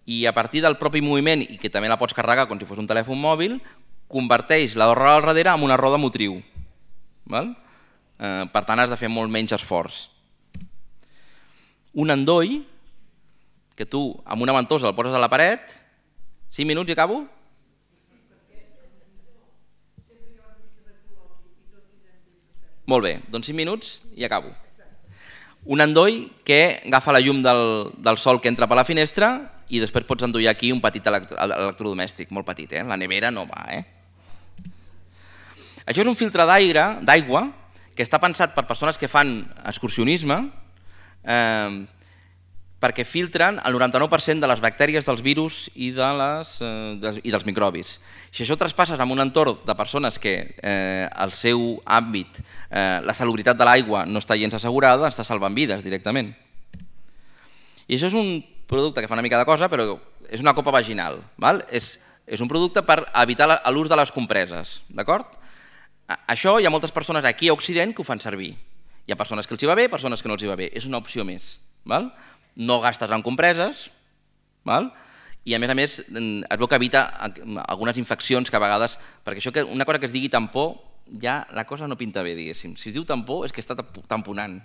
i a partir del propi moviment, i que també la pots carregar com si fos un telèfon mòbil, converteix la roda al darrere en una roda motriu. Per tant, has de fer molt menys esforç. Un endoll, que tu amb una ventosa el poses a la paret 5 minuts i acabo? Molt bé, doncs 5 minuts i acabo. Un endoll que agafa la llum del sol que entra per la finestra i després pots endollar aquí un petit electrodomèstic, molt petit, la nevera no va. Això és un filtre d'aigua que està pensat per persones que fan excursionisme perquè filtren el 99% de les bactèries, dels virus i dels microbis. Si això traspasses en un entorn de persones que el seu àmbit, la salubritat de l'aigua no està gens assegurada, està salvant vides directament. I això és un producte que fa una mica de cosa, però és una copa vaginal. És un producte per evitar l'ús de les compreses. Això hi ha moltes persones aquí a Occident que ho fan servir. Hi ha persones que els hi va bé, persones que no els hi va bé. És una opció més. No gastes en compreses i a més es veu que evita algunes infeccions que a vegades, perquè això una cosa que es digui tampó, ja la cosa no pinta bé, diguéssim. Si es diu tampó és que està tamponant.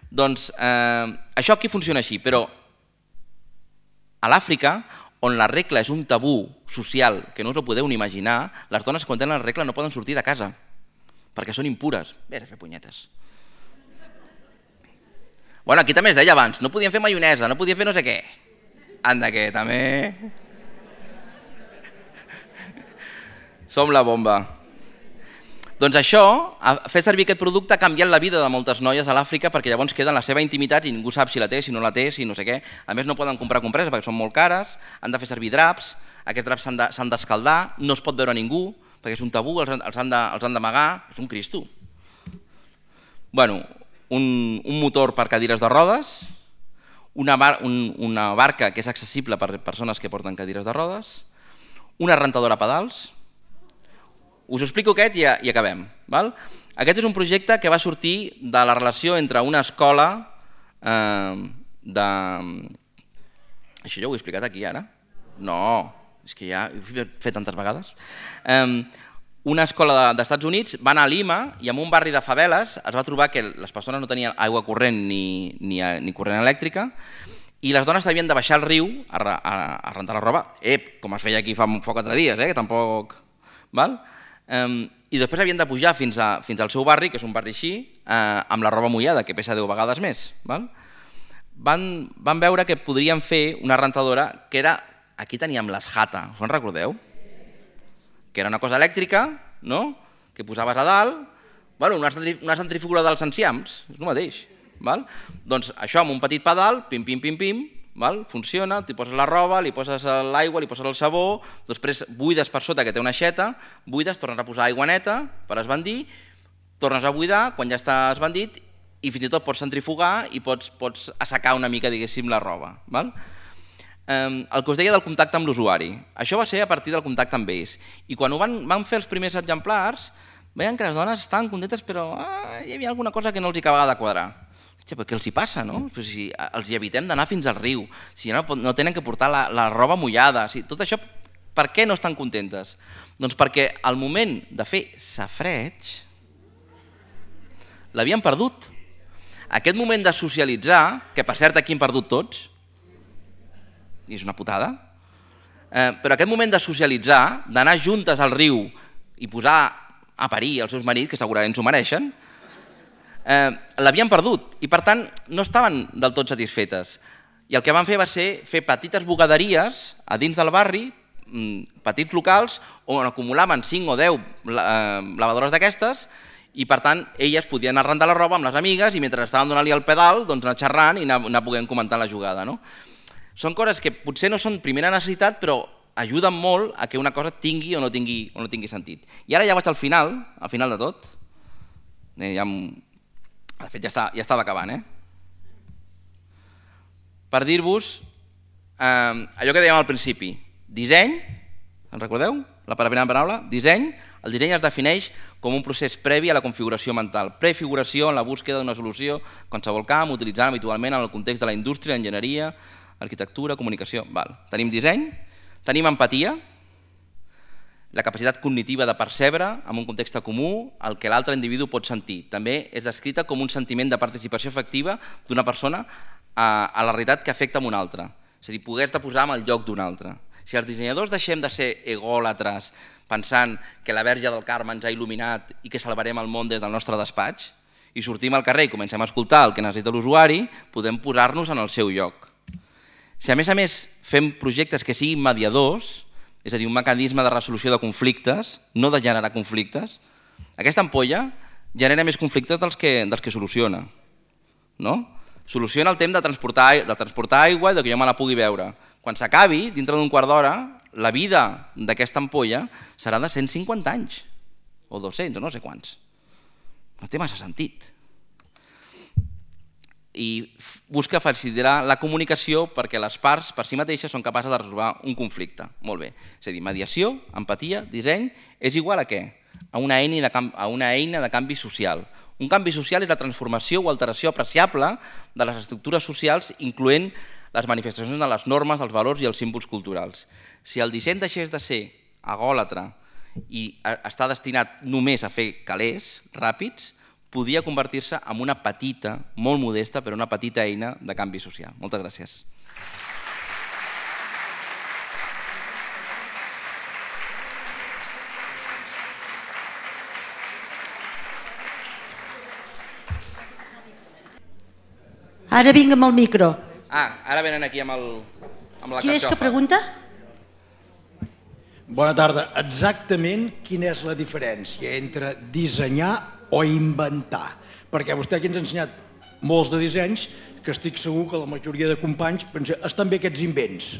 Doncs això aquí funciona així, però a l'Àfrica, on la regla és un tabú social que no us ho podeu ni imaginar, les dones quan tenen la regla no poden sortir de casa, perquè són impures. Vés a fer punyetes. Bueno, aquí també es deia abans, no podien fer maionesa, no podien fer no sé què. Anda que també... Som la bomba. Doncs això, fer servir aquest producte ha canviat la vida de moltes noies a l'Àfrica perquè llavors queda en la seva intimitat i ningú sap si la té, si no la té, si no sé què. A més no poden comprar compreses perquè són molt cares, han de fer servir draps, aquests draps s'han d'escaldar, no es pot veure ningú perquè és un tabú, els han d'amagar, és un cristo. Bueno, un motor per cadires de rodes, una barca que és accessible per persones que porten cadires de rodes, una rentadora a pedals. Us explico aquest i acabem. Aquest és un projecte que va sortir de la relació entre una escola de... Això ja ho he explicat aquí ara? No, és que ja ho he fet tantes vegades. Una escola dels Estats Units va anar a Lima i en un barri de faveles es va trobar que les persones no tenien aigua corrent ni corrent elèctrica i les dones havien de baixar al riu a rentar la roba, com es feia aquí fa 4 dies, que tampoc... I després havien de pujar fins al seu barri, que és un barri així, amb la roba mullada, que pesa 10 vegades més. Van veure que podrien fer una rentadora que era... Aquí teníem l'Esjata, us en recordeu? Que era una cosa elèctrica, que posaves a dalt, una centrifugadora dels enciams, és el mateix. Doncs això amb un petit pedal, pim, pim, pim, pim, funciona, t'hi poses la roba, li poses l'aigua, li poses el sabó, després buides per sota que té una aixeta, buides, tornes a posar aigua neta per esbandir, tornes a buidar quan ja està esbandit i fins i tot pots centrifugar i pots assecar una mica, diguéssim, la roba. El que us deia del contacte amb l'usuari. Això va ser a partir del contacte amb ells. I quan van fer els primers exemplars, veien que les dones estaven contentes, però hi havia alguna cosa que no els acabava de quadrar. Què els hi passa, no? Si els hi evitem d'anar fins al riu, si no tenen que portar la roba mullada, tot això, per què no estan contentes? Doncs perquè al moment de fer safareig l'havien perdut. Aquest moment de socialitzar, que per cert aquí hem perdut tots, i és una putada, però aquest moment de socialitzar, d'anar juntes al riu i posar a parir els seus marits, que segurament s'ho mereixen, l'havien perdut i per tant no estaven del tot satisfetes. I el que van fer va ser fer petites bugaderies a dins del barri, petits locals, on acumulaven 5 o 10 lavadores d'aquestes i per tant elles podien anar a rentar la roba amb les amigues i mentre estaven donant-li el pedal anar xerrant i anar podent comentar la jugada. Són coses que potser no són primera necessitat, però ajuden molt a que una cosa tingui o no tingui sentit. I ara ja vaig al final de tot. De fet, ja estava acabant. Per dir-vos allò que dèiem al principi. Disseny, en recordeu? La primera paraula, disseny. El disseny es defineix com un procés previ a la configuració mental. Prefiguració en la búsqueda d'una solució qualsevol camp, utilitzant habitualment en el context de la indústria, enginyeria, arquitectura, comunicació. Tenim disseny, tenim empatia, la capacitat cognitiva de percebre en un context comú el que l'altre individu pot sentir. També és descrita com un sentiment de participació efectiva d'una persona a la realitat que afecta a una altra. És a dir, poder-te posar en el lloc d'un altre. Si els dissenyadors deixem de ser egòlatres pensant que la Verge del Carme ens ha il·luminat i que salvarem el món des del nostre despatx, i sortim al carrer i comencem a escoltar el que necessita l'usuari, podem posar-nos en el seu lloc. Si a més fem projectes que siguin mediadors, és a dir, un mecanisme de resolució de conflictes, no de generar conflictes, aquesta ampolla genera més conflictes dels que soluciona. Soluciona el temps de transportar aigua i que jo me la pugui beure. Quan s'acabi, dintre d'un quart d'hora, la vida d'aquesta ampolla serà de 150 anys, o 200, o no sé quants. No té massa sentit. I busca facilitar la comunicació perquè les parts per si mateixes són capaces de resoldre un conflicte. Molt bé. És a dir, mediació, empatia, disseny, és igual a què? A una eina de canvi social. Un canvi social és la transformació o alteració apreciable de les estructures socials, incloent les manifestacions de les normes, els valors i els símbols culturals. Si el disseny deixés de ser egòlatre i està destinat només a fer calés ràpids, podia convertir-se en una petita, molt modesta, però una petita eina de canvi social. Moltes gràcies. Ara vinc amb el micro. Ara venen aquí amb la carxofa. Qui és que pregunta? Bona tarda. Exactament quina és la diferència entre dissenyar o inventar? Perquè vostè aquí ens ha ensenyat molts de dissenys que estic segur que la majoria de companys pensen estan bé aquests invents.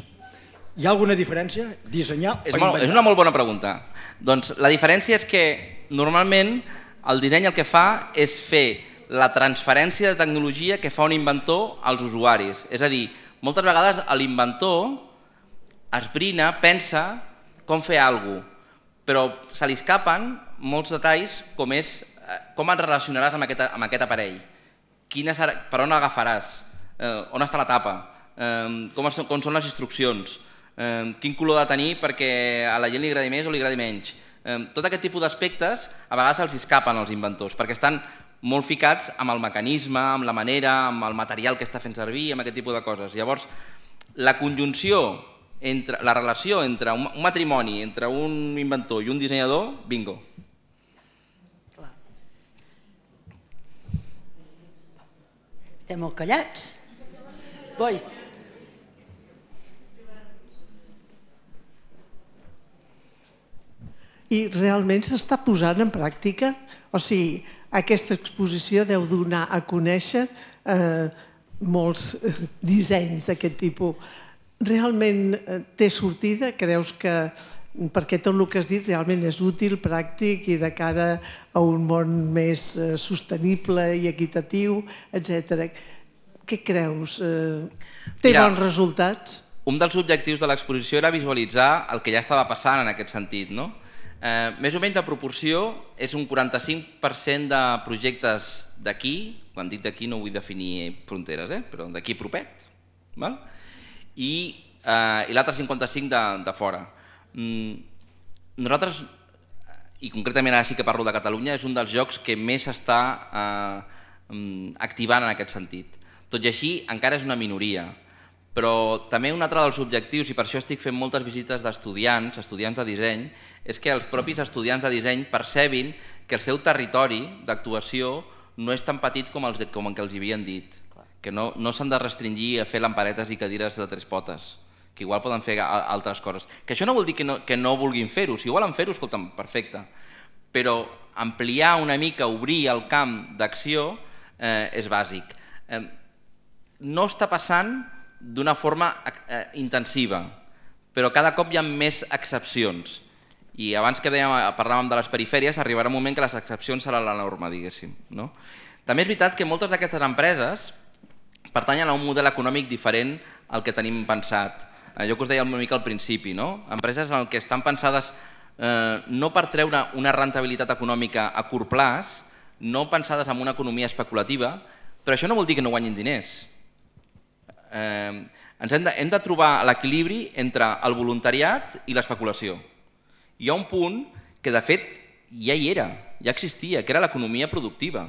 Hi ha alguna diferència? Dissenyar o inventar? És una molt bona pregunta. Doncs la diferència és que normalment el disseny el que fa és fer la transferència de tecnologia que fa un inventor als usuaris. És a dir, moltes vegades l'inventor esbrina, pensa com fer alguna cosa, però se li escapen molts detalls com és com et relacionaràs amb aquest aparell, per on l'agafaràs, on està la tapa, com són les instruccions, quin color ha de tenir perquè a la gent li agradi més o li agradi menys. Tot aquest tipus d'aspectes a vegades els escapen als inventors perquè estan molt ficats amb el mecanisme, amb la manera, amb el material que està fent servir, amb aquest tipus de coses. Llavors, la conjunció, la relació entre un matrimoni, entre un inventor i un dissenyador, bingo. Estem molt callats. Voi. I realment s'està posant en pràctica? O sigui, aquesta exposició deu donar a conèixer molts dissenys d'aquest tipus. Realment té sortida? Creus que, perquè tot el que has dit realment és útil, pràctic i de cara a un món més sostenible i equitatiu, etc. Què creus? Té bons resultats? Un dels objectius de l'exposició era visualitzar el que ja estava passant en aquest sentit, no? Més o menys la proporció és un 45% de projectes d'aquí, quan dic d'aquí no vull definir fronteres, però d'aquí propet, i l'altre 55% de fora. Nosaltres, i concretament ara sí que parlo de Catalunya, és un dels jocs que més s'està activant en aquest sentit. Tot i així, encara és una minoria. Però també un altre dels objectius, i per això estic fent moltes visites d'estudiants de disseny, és que els propis estudiants de disseny percebin que el seu territori d'actuació no és tan petit com el que els havien dit, que no s'han de restringir a fer lamparetes i cadires de 3 potes, que igual poden fer altres coses. Que això no vol dir que no vulguin fer-ho, si volen fer-ho, escolta'm, perfecte, però ampliar una mica, obrir el camp d'acció és bàsic. No està passant d'una forma intensiva, però cada cop hi ha més excepcions. I abans que parlàvem de les perifèries, arribarà un moment que les excepcions seran la norma, diguéssim. També és veritat que moltes d'aquestes empreses pertanyen a un model econòmic diferent al que tenim pensat. Jo que us deia una mica al principi, empreses en què estan pensades no per treure una rentabilitat econòmica a curt plaç, no pensades en una economia especulativa, però això no vol dir que no guanyin diners. Hem de trobar l'equilibri entre el voluntariat i l'especulació. Hi ha un punt que de fet ja hi era, ja existia, que era l'economia productiva,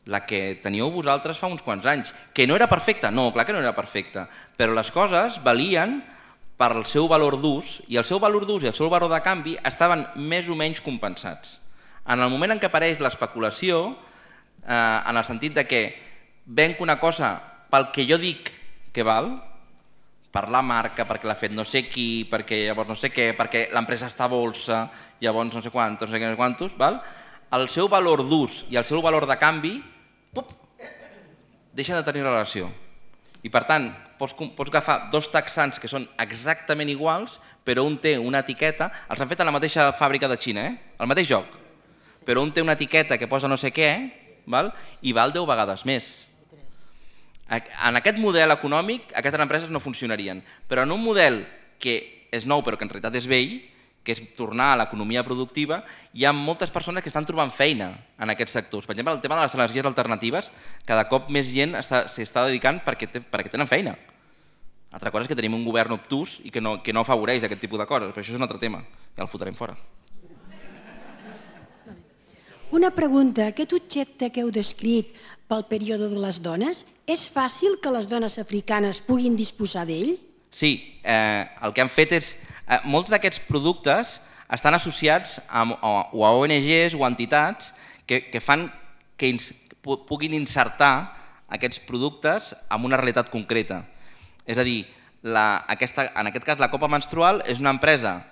la que teníeu vosaltres fa uns quants anys. Que no era perfecta? No, clar que no era perfecta, però les coses valien pel seu valor d'ús, i el seu valor d'ús i el seu valor de canvi estaven més o menys compensats. En el moment en què apareix l'especulació, en el sentit de que venc una cosa pel que jo dic que val, per la marca, perquè l'ha fet no sé qui, perquè llavors no sé què, perquè l'empresa està a bolsa, llavors no sé quantos, el seu valor d'ús i el seu valor de canvi deixen de tenir relació. I per tant, pots agafar dos texans que són exactament iguals, però un té una etiqueta, els han fet a la mateixa fàbrica de Xina, el mateix joc, però un té una etiqueta que posa no sé què i val 10 vegades més. En aquest model econòmic aquestes empreses no funcionarien, però en un model que és nou però que en realitat és vell, que és tornar a l'economia productiva, hi ha moltes persones que estan trobant feina en aquests sectors. Per exemple, el tema de les energies alternatives, cada cop més gent s'hi està dedicant perquè tenen feina. Altra cosa és que tenim un govern obtús i que no afavoreix aquest tipus de coses, però això és un altre tema, ja el fotrem fora. Una pregunta, aquest objecte que heu descrit pel període de les dones, és fàcil que les dones africanes puguin disposar d'ell? Sí, el que han fet és... Molts d'aquests productes estan associats a ONGs o entitats que fan que puguin insertar aquests productes en una realitat concreta. És a dir, en aquest cas la copa menstrual és una empresa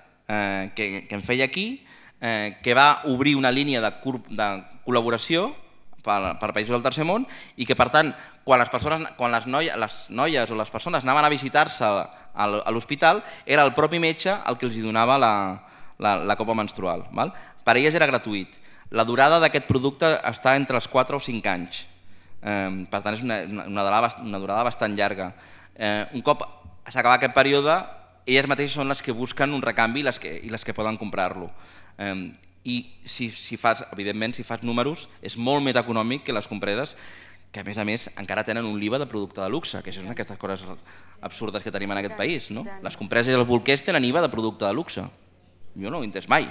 que em feia aquí, que va obrir una línia de col·laboració per països del tercer món i que, per tant, quan les noies o les persones anaven a visitar-se a l'hospital, era el propi metge el que els donava la copa menstrual. Per a elles era gratuït. La durada d'aquest producte està entre els 4 o 5 anys. Per tant, és una durada bastant llarga. Un cop s'acaba aquest període, elles mateixes són les que busquen un recanvi i les que poden comprar-lo. I evidentment, si fas números, és molt més econòmic que les compreses que, a més, encara tenen un IVA de producte de luxe, que això són aquestes coses absurdes que tenim en aquest país. Les compreses i els bolquers tenen IVA de producte de luxe. Jo no ho he entès mai.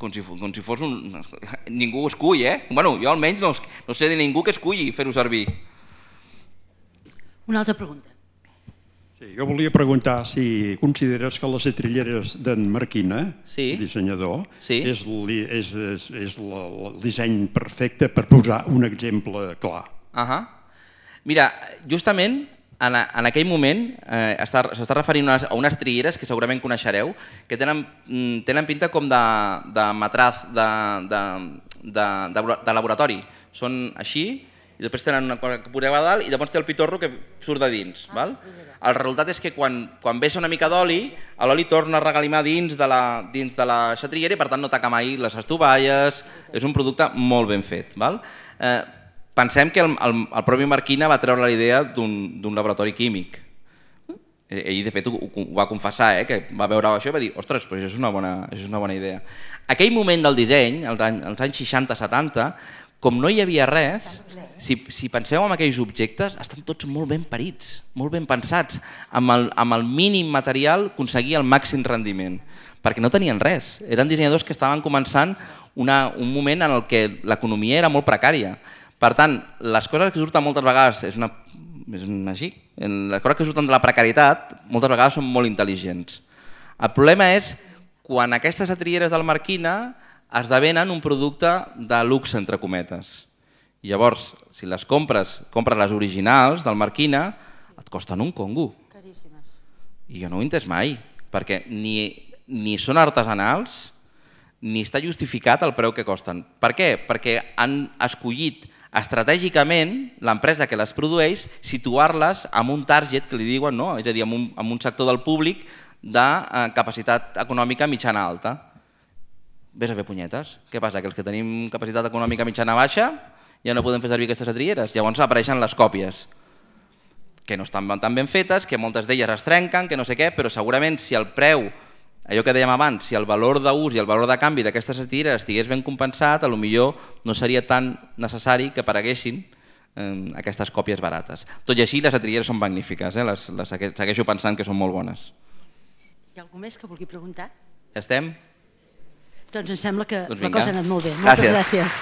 Com si fos un... Ningú ho escull, Bueno, jo almenys no sé de ningú que esculli fer-ho servir. Una altra pregunta. Sí, jo volia preguntar si consideres que les setrilleres d'en Marquina, dissenyador, és el disseny perfecte per posar un exemple clar. Mira, justament en aquell moment s'està referint a unes trilleres que segurament coneixereu, que tenen pinta com de matraz de laboratori. Són així, i després tenen una cosa que poseu a dalt i llavors té el pitorro que surt de dins. El resultat és que quan vessa una mica d'oli, l'oli torna a regalimar dins de la xatrillera i per tant no taca mai les estovalles, és un producte molt ben fet. Pensem que el propi Marquina va treure la idea d'un laboratori químic. Ell, de fet, ho va confessar, que va veure això i va dir «Ostres, però això és una bona idea». Aquell moment del disseny, als anys 60-70, com no hi havia res, si penseu en aquells objectes, estan tots molt ben parits, molt ben pensats, amb el mínim material aconseguir el màxim rendiment, perquè no tenien res. Eren dissenyadors que estaven començant un moment en el que l'economia era molt precària. Per tant, les coses que surten moltes vegades, és així, les coses que surten de la precarietat moltes vegades són molt intel·ligents. El problema és quan aquestes setrilleres del Marquina esdevenen un producte de luxe, entre cometes. I llavors, si les compres les originals del Marquina, et costen un congo. I jo no ho he entès mai, perquè ni són artesanals ni està justificat el preu que costen. Per què? Perquè han escollit estratègicament l'empresa que les produeix situar-les en un target que li diuen, és a dir, en un sector del públic de capacitat econòmica mitjana-alta. Ves a fer punyetes. Què passa? Que els que tenim capacitat econòmica mitjana-baixa ja no podem fer servir aquestes setrilleres. Llavors apareixen les còpies, que no estan tan ben fetes, que moltes d'elles es trenquen, que no sé què, però segurament si el preu, allò que dèiem abans, si el valor d'ús i el valor de canvi d'aquestes setrilleres estigués ben compensat, potser no seria tan necessari que apareguessin aquestes còpies barates. Tot i així, les setrilleres són magnífiques, segueixo pensant que són molt bones. Hi ha algú més que vulgui preguntar? Ja estem? Doncs em sembla que la cosa ha anat molt bé. Moltes gràcies.